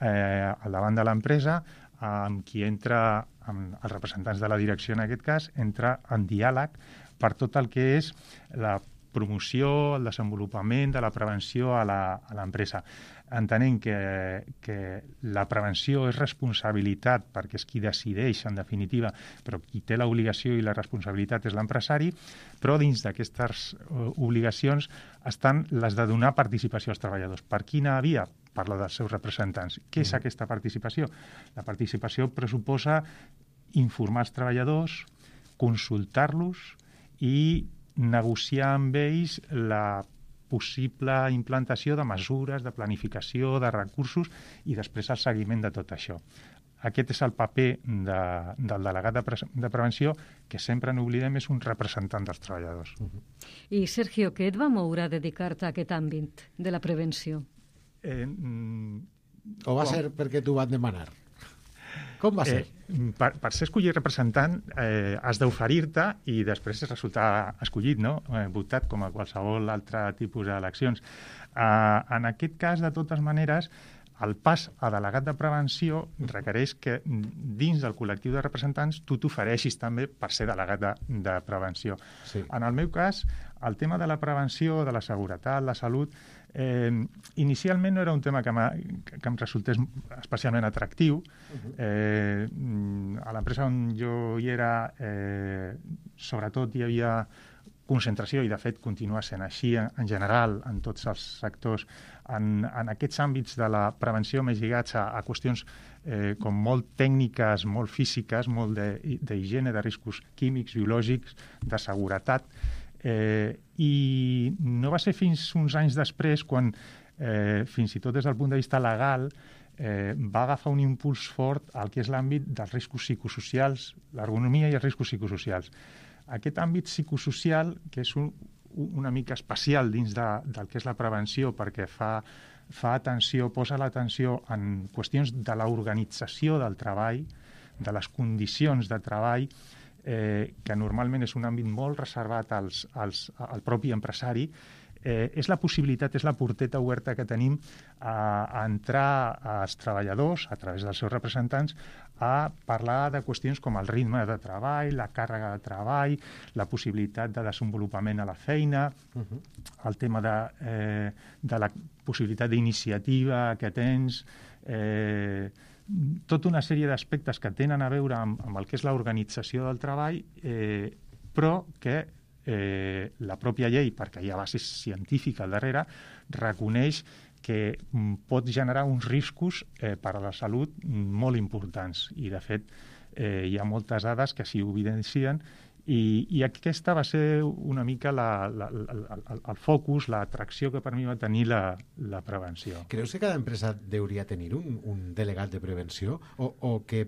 eh, al davant de l'empresa, amb qui entra, amb els representants de la direcció en aquest cas, entra en diàleg per tot el que és la promoció, el desenvolupament de la prevenció a l'empresa. Entenent que, que la prevenció és responsabilitat perquè és qui decideix, en definitiva, però qui té l'obligació i la responsabilitat és l'empresari, però dins d'aquestes obligacions estan les de donar participació als treballadors. Per quina via? Per la dels seus representants. Què és aquesta participació? La participació pressuposa informar els treballadors, consultar-los i negociar amb ells la possible implantació de mesures, de planificació, de recursos i després el seguiment de tot això. Aquest és el paper de, del delegat de, pre de prevenció, que sempre n'oblidem, és un representant dels treballadors. Uh-huh. I, Sergio, què et va moure a dedicar-te a aquest àmbit de la prevenció? Eh, mm, o va com? ser perquè t'ho van demanar? Com va ser? Eh, per, per ser escollit representant eh, has d'oferir-te i després resultar escollit, no? eh, votat com a qualsevol altre tipus d'eleccions. Eh, en aquest cas, de totes maneres, el pas a delegat de prevenció requereix que dins del col·lectiu de representants tu t'ofereixis també per ser delegat de, de prevenció. Sí. En el meu cas, el tema de la prevenció, de la seguretat, la salut, eh, inicialment no era un tema que, que em resultés especialment atractiu. Uh-huh. eh, a l'empresa on jo hi era, eh, sobretot hi havia concentració, i de fet continua sent així en general en tots els sectors, en, en aquests àmbits de la prevenció més lligats a, a qüestions eh, com molt tècniques, molt físiques, molt d'higiene, de, de riscos químics, biològics, de seguretat, eh, i no va ser fins uns anys després quan, eh, fins i tot des del punt de vista legal, eh, va agafar un impuls fort al que és l'àmbit dels riscos psicosocials, l'ergonomia i els riscos psicosocials. Aquest àmbit psicosocial, que és un, una mica especial dins de, del que és la prevenció, perquè fa, fa atenció, posa l'atenció en qüestions de l'organització del treball, de les condicions de treball, eh, que normalment és un àmbit molt reservat als, als, al propi empresari, eh, és la possibilitat, és la porteta oberta que tenim a, a entrar als treballadors, a través dels seus representants, a parlar de qüestions com el ritme de treball, la càrrega de treball, la possibilitat de desenvolupament a la feina, uh-huh. el tema de, eh, de la possibilitat d'iniciativa que tens, eh, tota una sèrie d'aspectes que tenen a veure amb, amb el que és l'organització del treball, eh, però que eh, la pròpia llei, perquè hi ha base científica al darrere, reconeix que pot generar uns riscos eh, per a la salut molt importants. I, de fet, eh, hi ha moltes dades que s'hi evidencien i, i aquesta va ser una mica la, la, la, el, el focus, l'atracció que per mi va tenir la, la prevenció. Creus que cada empresa hauria tenir un, un delegat de prevenció o, o que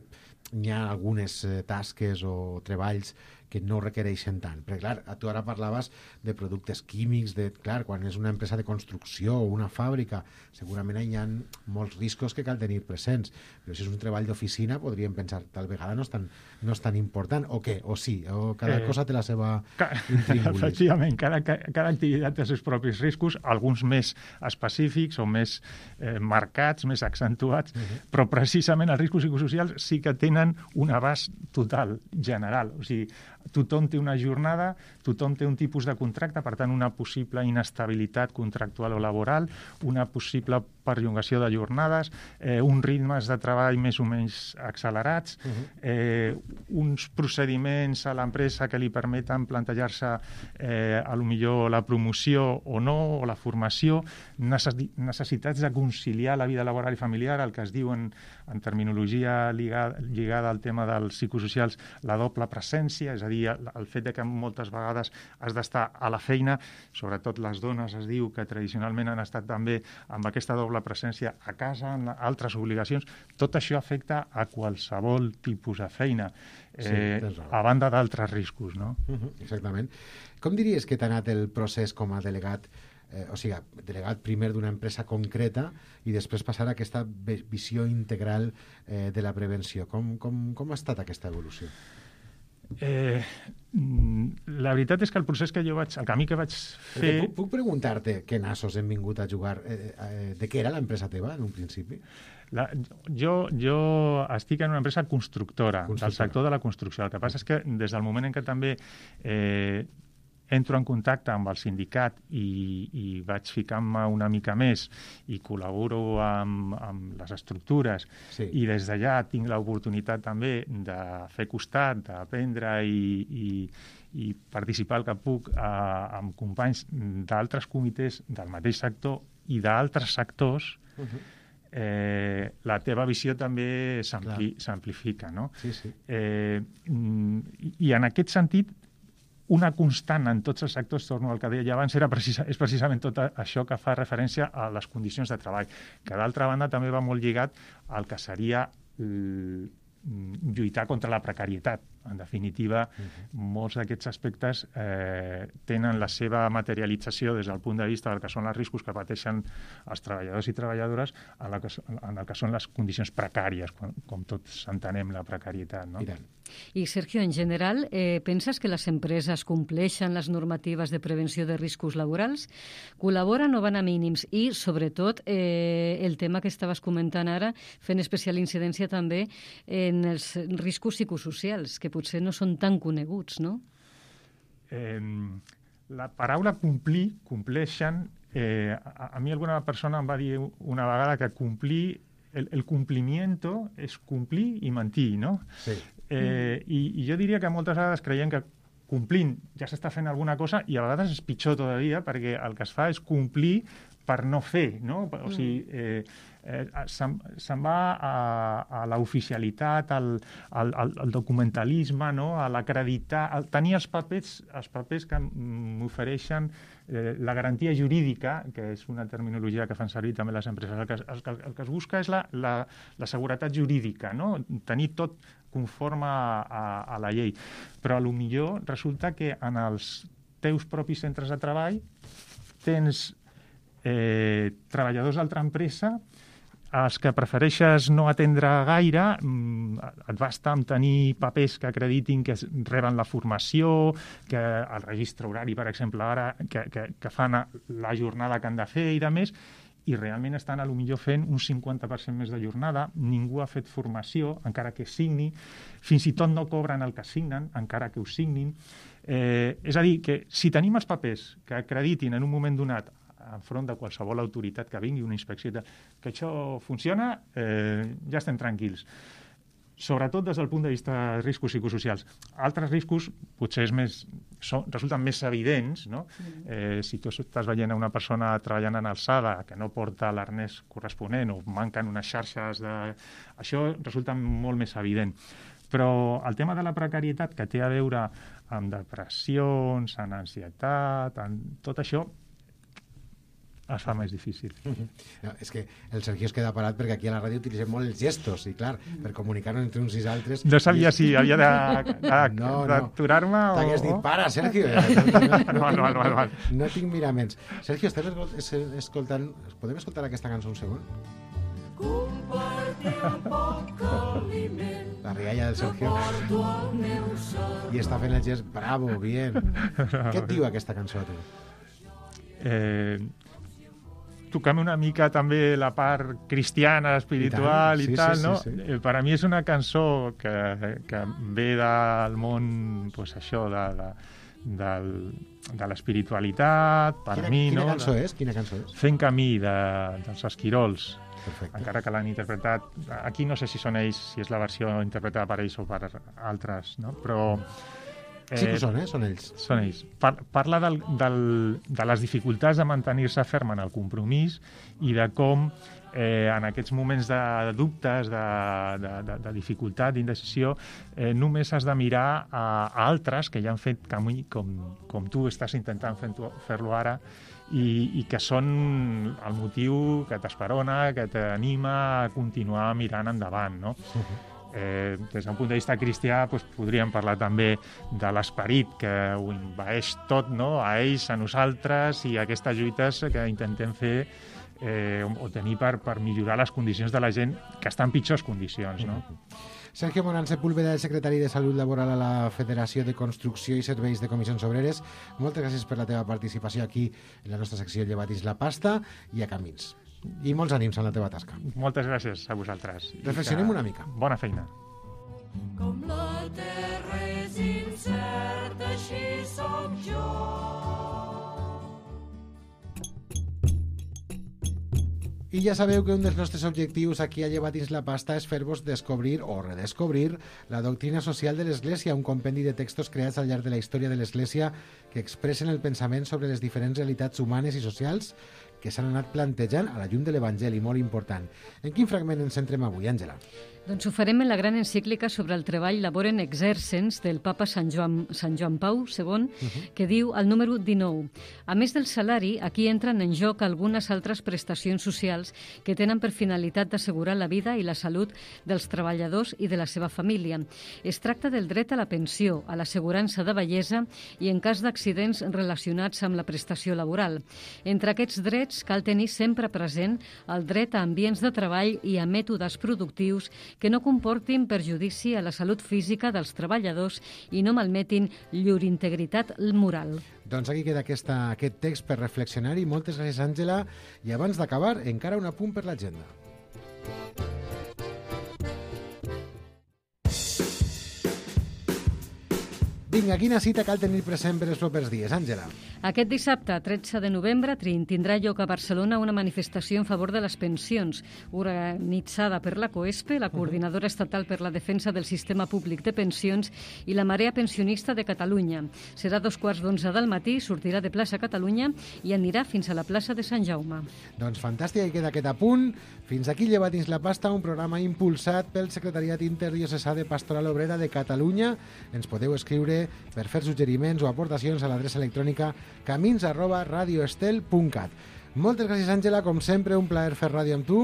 hi ha algunes eh, tasques o treballs que no requereixen tant? Perquè, clar, tu ara parlaves de productes químics, de, clar, quan és una empresa de construcció o una fàbrica, segurament hi ha molts riscos que cal tenir presents, però si és un treball d'oficina podríem pensar, tal vegada no és tan, no és tan important, o què, o sí, o cada eh, cosa té la seva intríngulis. Efectivament, cada, cada activitat té els seus propis riscos, alguns més específics o més eh, marcats, més accentuats, uh-huh. però precisament els riscos psicosocials sí que tenen un abast total, general, o sigui, tothom té una jornada, tothom té un tipus de contracte, per tant, una possible inestabilitat contractual o laboral, una possible perllongació de jornades, eh, uns ritmes de treball més o menys accelerats, uh-huh. eh, uns procediments a l'empresa que li permeten plantejar-se eh, a lo millor la promoció o no, o la formació, necessitats de conciliar la vida laboral i familiar, el que es diu en, en terminologia lligada, lligada al tema dels psicosocials, la doble presència, és a dir, el, el fet de que moltes vegades has d'estar a la feina, sobretot les dones es diu que tradicionalment han estat també amb aquesta doble presència a casa, en altres obligacions, tot això afecta a qualsevol tipus de feina, eh, sí, a banda d'altres riscos, no? Uh-huh, exactament. Com diries que t'ha anat el procés com a delegat, eh, o sigui, delegat primer d'una empresa concreta i després passar a aquesta visió integral eh, de la prevenció? Com, com, com ha estat aquesta evolució? Eh, la veritat és que el procés que jo vaig, el camí que vaig fer... Puc, puc preguntar-te què nassos hem vingut a jugar? Eh, eh, de què era l'empresa teva en un principi? La, jo, jo estic en una empresa constructora, constructora, del sector de la construcció. El que passa és que des del moment en què també eh, entro en contacte amb el sindicat i, i vaig ficant-me una mica més i col·laboro amb, amb les estructures sí. i des d'allà tinc l'oportunitat també de fer costat, d'aprendre i, i, i participar el que puc a, amb companys d'altres comitès del mateix sector i d'altres sectors, uh-huh. eh, la teva visió també s'amplifica, no? Sí, sí. Eh, I en aquest sentit, una constant en tots els sectors, torno al que deia abans, era precisa, és precisament tot això que fa referència a les condicions de treball, que d'altra banda també va molt lligat al que seria l... lluitar contra la precarietat. En definitiva, uh-huh. molts d'aquests aspectes eh, tenen la seva materialització des del punt de vista del que són els riscos que pateixen els treballadors i treballadores en, la que, en el que són les condicions precàries, com, com tots entenem la precarietat. No? I, I Sergio, en general, eh, penses que les empreses compleixen les normatives de prevenció de riscos laborals? Col·laboren o van a mínims? I, sobretot, eh, el tema que estaves comentant ara, fent especial incidència també en els riscos psicosocials, que potser no són tan coneguts, no? Eh, la paraula complir, compleixen, eh, a, a mi alguna persona em va dir una vegada que complir, el, el complimiento és complir i mentir, no? Sí. Eh, i, I jo diria que moltes vegades creiem que complint ja s'està fent alguna cosa i a vegades és pitjor todavía perquè el que es fa és complir per no fer, no? O sigui, eh, eh, se'n se va a, a l'oficialitat, al, al, al documentalisme, no? A l'acreditar, a tenir els papers, els papers que m'ofereixen eh, la garantia jurídica, que és una terminologia que fan servir també les empreses. El que, el, el que es busca és la, la, la seguretat jurídica, no? Tenir tot conforme a, a, a la llei. Però a lo millor resulta que en els teus propis centres de treball tens eh, treballadors d'altra empresa els que prefereixes no atendre gaire, et basta amb tenir papers que acreditin que reben la formació, que el registre horari, per exemple, ara, que, que, que fan la jornada que han de fer i de més, i realment estan a lo millor fent un cinquanta per cent més de jornada, ningú ha fet formació, encara que signi, fins i tot no cobren el que signen, encara que ho signin. Eh, és a dir, que si tenim els papers que acreditin en un moment donat enfront de qualsevol autoritat que vingui, una inspecció, que això funciona, eh, ja estem tranquils. Sobretot des del punt de vista de riscos psicosocials. Altres riscos potser és més, són, resulten més evidents, no? Eh, si tu estàs veient a una persona treballant en alçada que no porta l'arnès corresponent o manquen unes xarxes de... Això resulta molt més evident. Però el tema de la precarietat, que té a veure amb depressions, amb ansietat, amb tot això, es fa més difícil. No, és que el Sergio es queda parat perquè aquí a la ràdio utilitzem molt els gestos i clar, per comunicar-nos entre uns i altres... No sabia si havia d'aturar-me no, no. o... T'hagués dit, para, Sergio! No, no, no, no, no. No tinc miraments. Sergio, estem escoltant... Podem escoltar aquesta cançó un segon? La rialla del Sergio. I està fent el gest, bravo, bien. Què et diu aquesta cançó a tu? Eh... Tocam una mica també la part cristiana, espiritual i, sí, i tal, sí, no? Sí, sí. Per a mi és una cançó que, que ve del món, pues això, de, de, del, de l'espiritualitat, per quina, mi, quina no? Quina cançó és? Quina cançó és? Fent camí, de, dels Esquirols. Perfecte. Encara que l'han interpretat... Aquí no sé si són ells, si és la versió interpretada per ells o per altres, no? Però... Sí que són, eh? Són ells. Són ells. Par parla del, del, de les dificultats de mantenir-se ferm en el compromís i de com eh, en aquests moments de, de dubtes, de, de, de, de dificultat, d'indecisió, eh, només has de mirar a, a altres que ja han fet camí com, com tu estàs intentant fer-lo ara i, i que són el motiu que t'esperona, que t'anima a continuar mirant endavant, no? Uh-huh. Eh, des d'un punt de vista cristià doncs, podríem parlar també de l'esperit que ho envaeix tot, no? A ells, a nosaltres i aquestes lluites que intentem fer eh, o tenir per, per millorar les condicions de la gent que està en pitjors condicions, no? Sergio Morán Sepúlveda, el secretari de Salut Laboral a la Federació de Construcció i Serveis de Comissions Obreres, moltes gràcies per la teva participació aquí en la nostra secció Llevatis la pasta i a Camins. I molts ànims en la teva tasca. Moltes gràcies a vosaltres. Reflexionem una mica. Bona feina. Com la terra és incerta, així sóc jo. I ja sabeu que un dels nostres objectius aquí a Lleva dins la pasta és fer-vos descobrir o redescobrir la doctrina social de l'Església, un compendi de textos creats al llarg de la història de l'Església que expressen el pensament sobre les diferents realitats humanes i socials que s'han anat plantejant a la llum de l'Evangeli, molt important. En quin fragment ens centrem avui, Àngela? Doncs ho farem en la gran encíclica sobre el treball Laborem Exercens del papa Sant Joan, Sant Joan Pau segon, uh-huh. que diu al número dinou. A més del salari, aquí entren en joc algunes altres prestacions socials que tenen per finalitat d'assegurar la vida i la salut dels treballadors i de la seva família. Es tracta del dret a la pensió, a l'assegurança de vellesa i en cas d'accidents relacionats amb la prestació laboral. Entre aquests drets cal tenir sempre present el dret a ambients de treball i a mètodes productius que no comportin perjudici a la salut física dels treballadors i no malmetin llur integritat moral. Doncs aquí queda aquesta, aquest text per reflexionar-hi. Moltes gràcies, Àngela. I abans d'acabar, encara un apunt per l'agenda. Vinga, quina cita cal tenir present per els propers dies, Àngela? Aquest dissabte, tretze de novembre, tindrà lloc a Barcelona una manifestació en favor de les pensions, organitzada per la COESPE, la Coordinadora Estatal per la Defensa del Sistema Públic de Pensions, i la Marea Pensionista de Catalunya. Serà a dos quarts d'onze del matí, sortirà de plaça Catalunya i anirà fins a la plaça de Sant Jaume. Doncs fantàstic, hi queda aquest apunt. Fins aquí Lleva dins la pasta, un programa impulsat pel Secretariat Interdiocesà de Pastoral Obrera de Catalunya. Ens podeu escriure per fer suggeriments o aportacions a l'adreça electrònica camins arroba radioestel punt cat. Moltes gràcies, Àngela, com sempre, un plaer fer ràdio amb tu.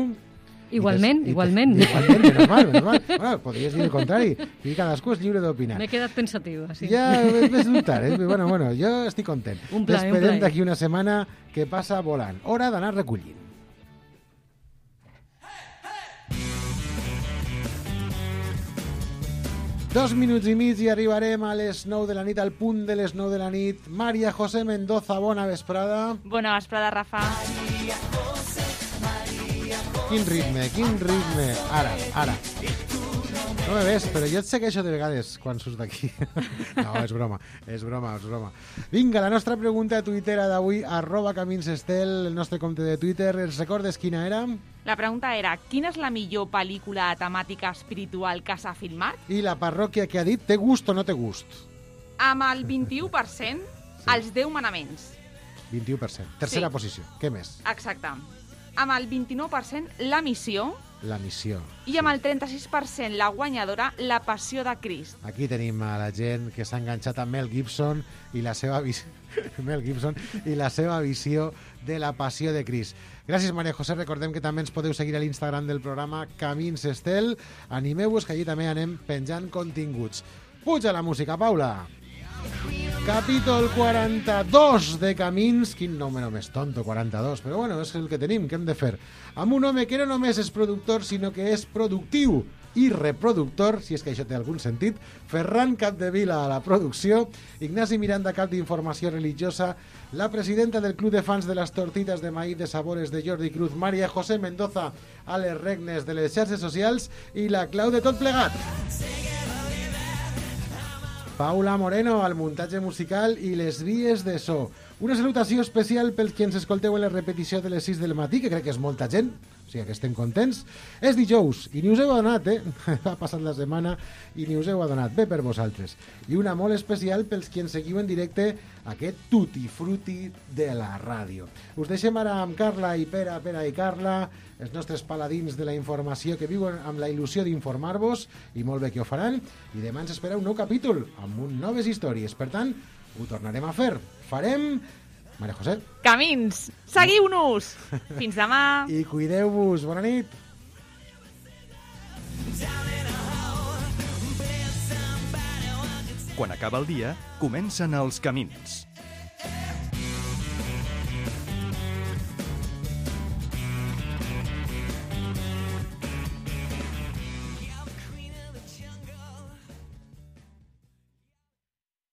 Igualment, I igualment. Igualment, menos mal, menos mal. Bueno, podries dir el contrari, i cadascú és lliure d'opinar. M'he quedat pensativa, sí. Ja ves dubtar, eh? Bueno, bueno, jo estic content. Un plaer, un T'esperem plaer. d'aquí una setmana que passa volant. Hora d'anar recollint. Dos minuts i mig i arribarem a les nou de la nit, al punt de les nou de la nit. Maria José Mendoza, bona vesprada. Bona vesprada, Rafa. Quin ritme, quin ritme. Ara, ara. No me ves, però jo et segueixo de vegades quan surts d'aquí. No, és broma, és broma, és broma. Vinga, la nostra pregunta a Twitter d'avui, arroba caminsestel, el nostre compte de Twitter. Els recordes quina era? La pregunta era, quina és la millor pel·lícula temàtica espiritual que s'ha filmat? I la parròquia que ha dit, té gust o no té gust? Amb el vint-i-u per cent, sí. Els deu manaments. vint-i-u per cent. Tercera Sí. posició. Què més? Exacte. Amb el vint-i-nou per cent, La missió. La missió. I amb el trenta-sis per cent, la guanyadora, La passió de Crist. Aquí tenim a la gent que s'ha enganxat amb Mel Gibson i la seva visió Mel Gibson i la seva visió de la passió de Crist. Gràcies, Maria José. Recordem que també ens podeu seguir a l'Instagram del programa Camins Estel. Animeu-vos, que allí també anem penjant continguts. Puja la música, Paula. Capítol quaranta-dos de Camins. Quin número més tonto, quaranta-dos. Però bueno, és el que tenim, què hem de fer? Amb un home que no només és productor, sinó que és productiu i reproductor, si és que això té algun sentit. Ferran Capdevila a la producció, Ignasi Miranda, cap d'informació religiosa, la presidenta del Club de Fans de les Tortitas de Maíz de Sabores de Jordi Cruz, Maria José Mendoza, a les regnes de les xarxes socials, i la clau de tot plegat, Paula Moreno, al muntatge musical i les vies de so. Una salutació especial pels que ens escolteu en la repetició de les sis del matí, que crec que és molta gent, o sigui que estem contents. És dijous, i ni us heu adonat, eh? Ha passat la setmana i ni us heu adonat. Bé per vosaltres. I una molt especial pels que ens seguiu en directe aquest tutti frutti de la ràdio. Us deixem ara amb Carla i Pere, Pere i Carla, els nostres paladins de la informació que viuen amb la il·lusió d'informar-vos, i molt bé que ho faran, i demà ens espera un nou capítol amb un noves històries. Per tant, ho tornarem a fer. Farem... Maria José. Camins, seguiu-nos! Fins demà! I cuideu-vos. Bona nit! Quan acaba el dia, comencen els camins.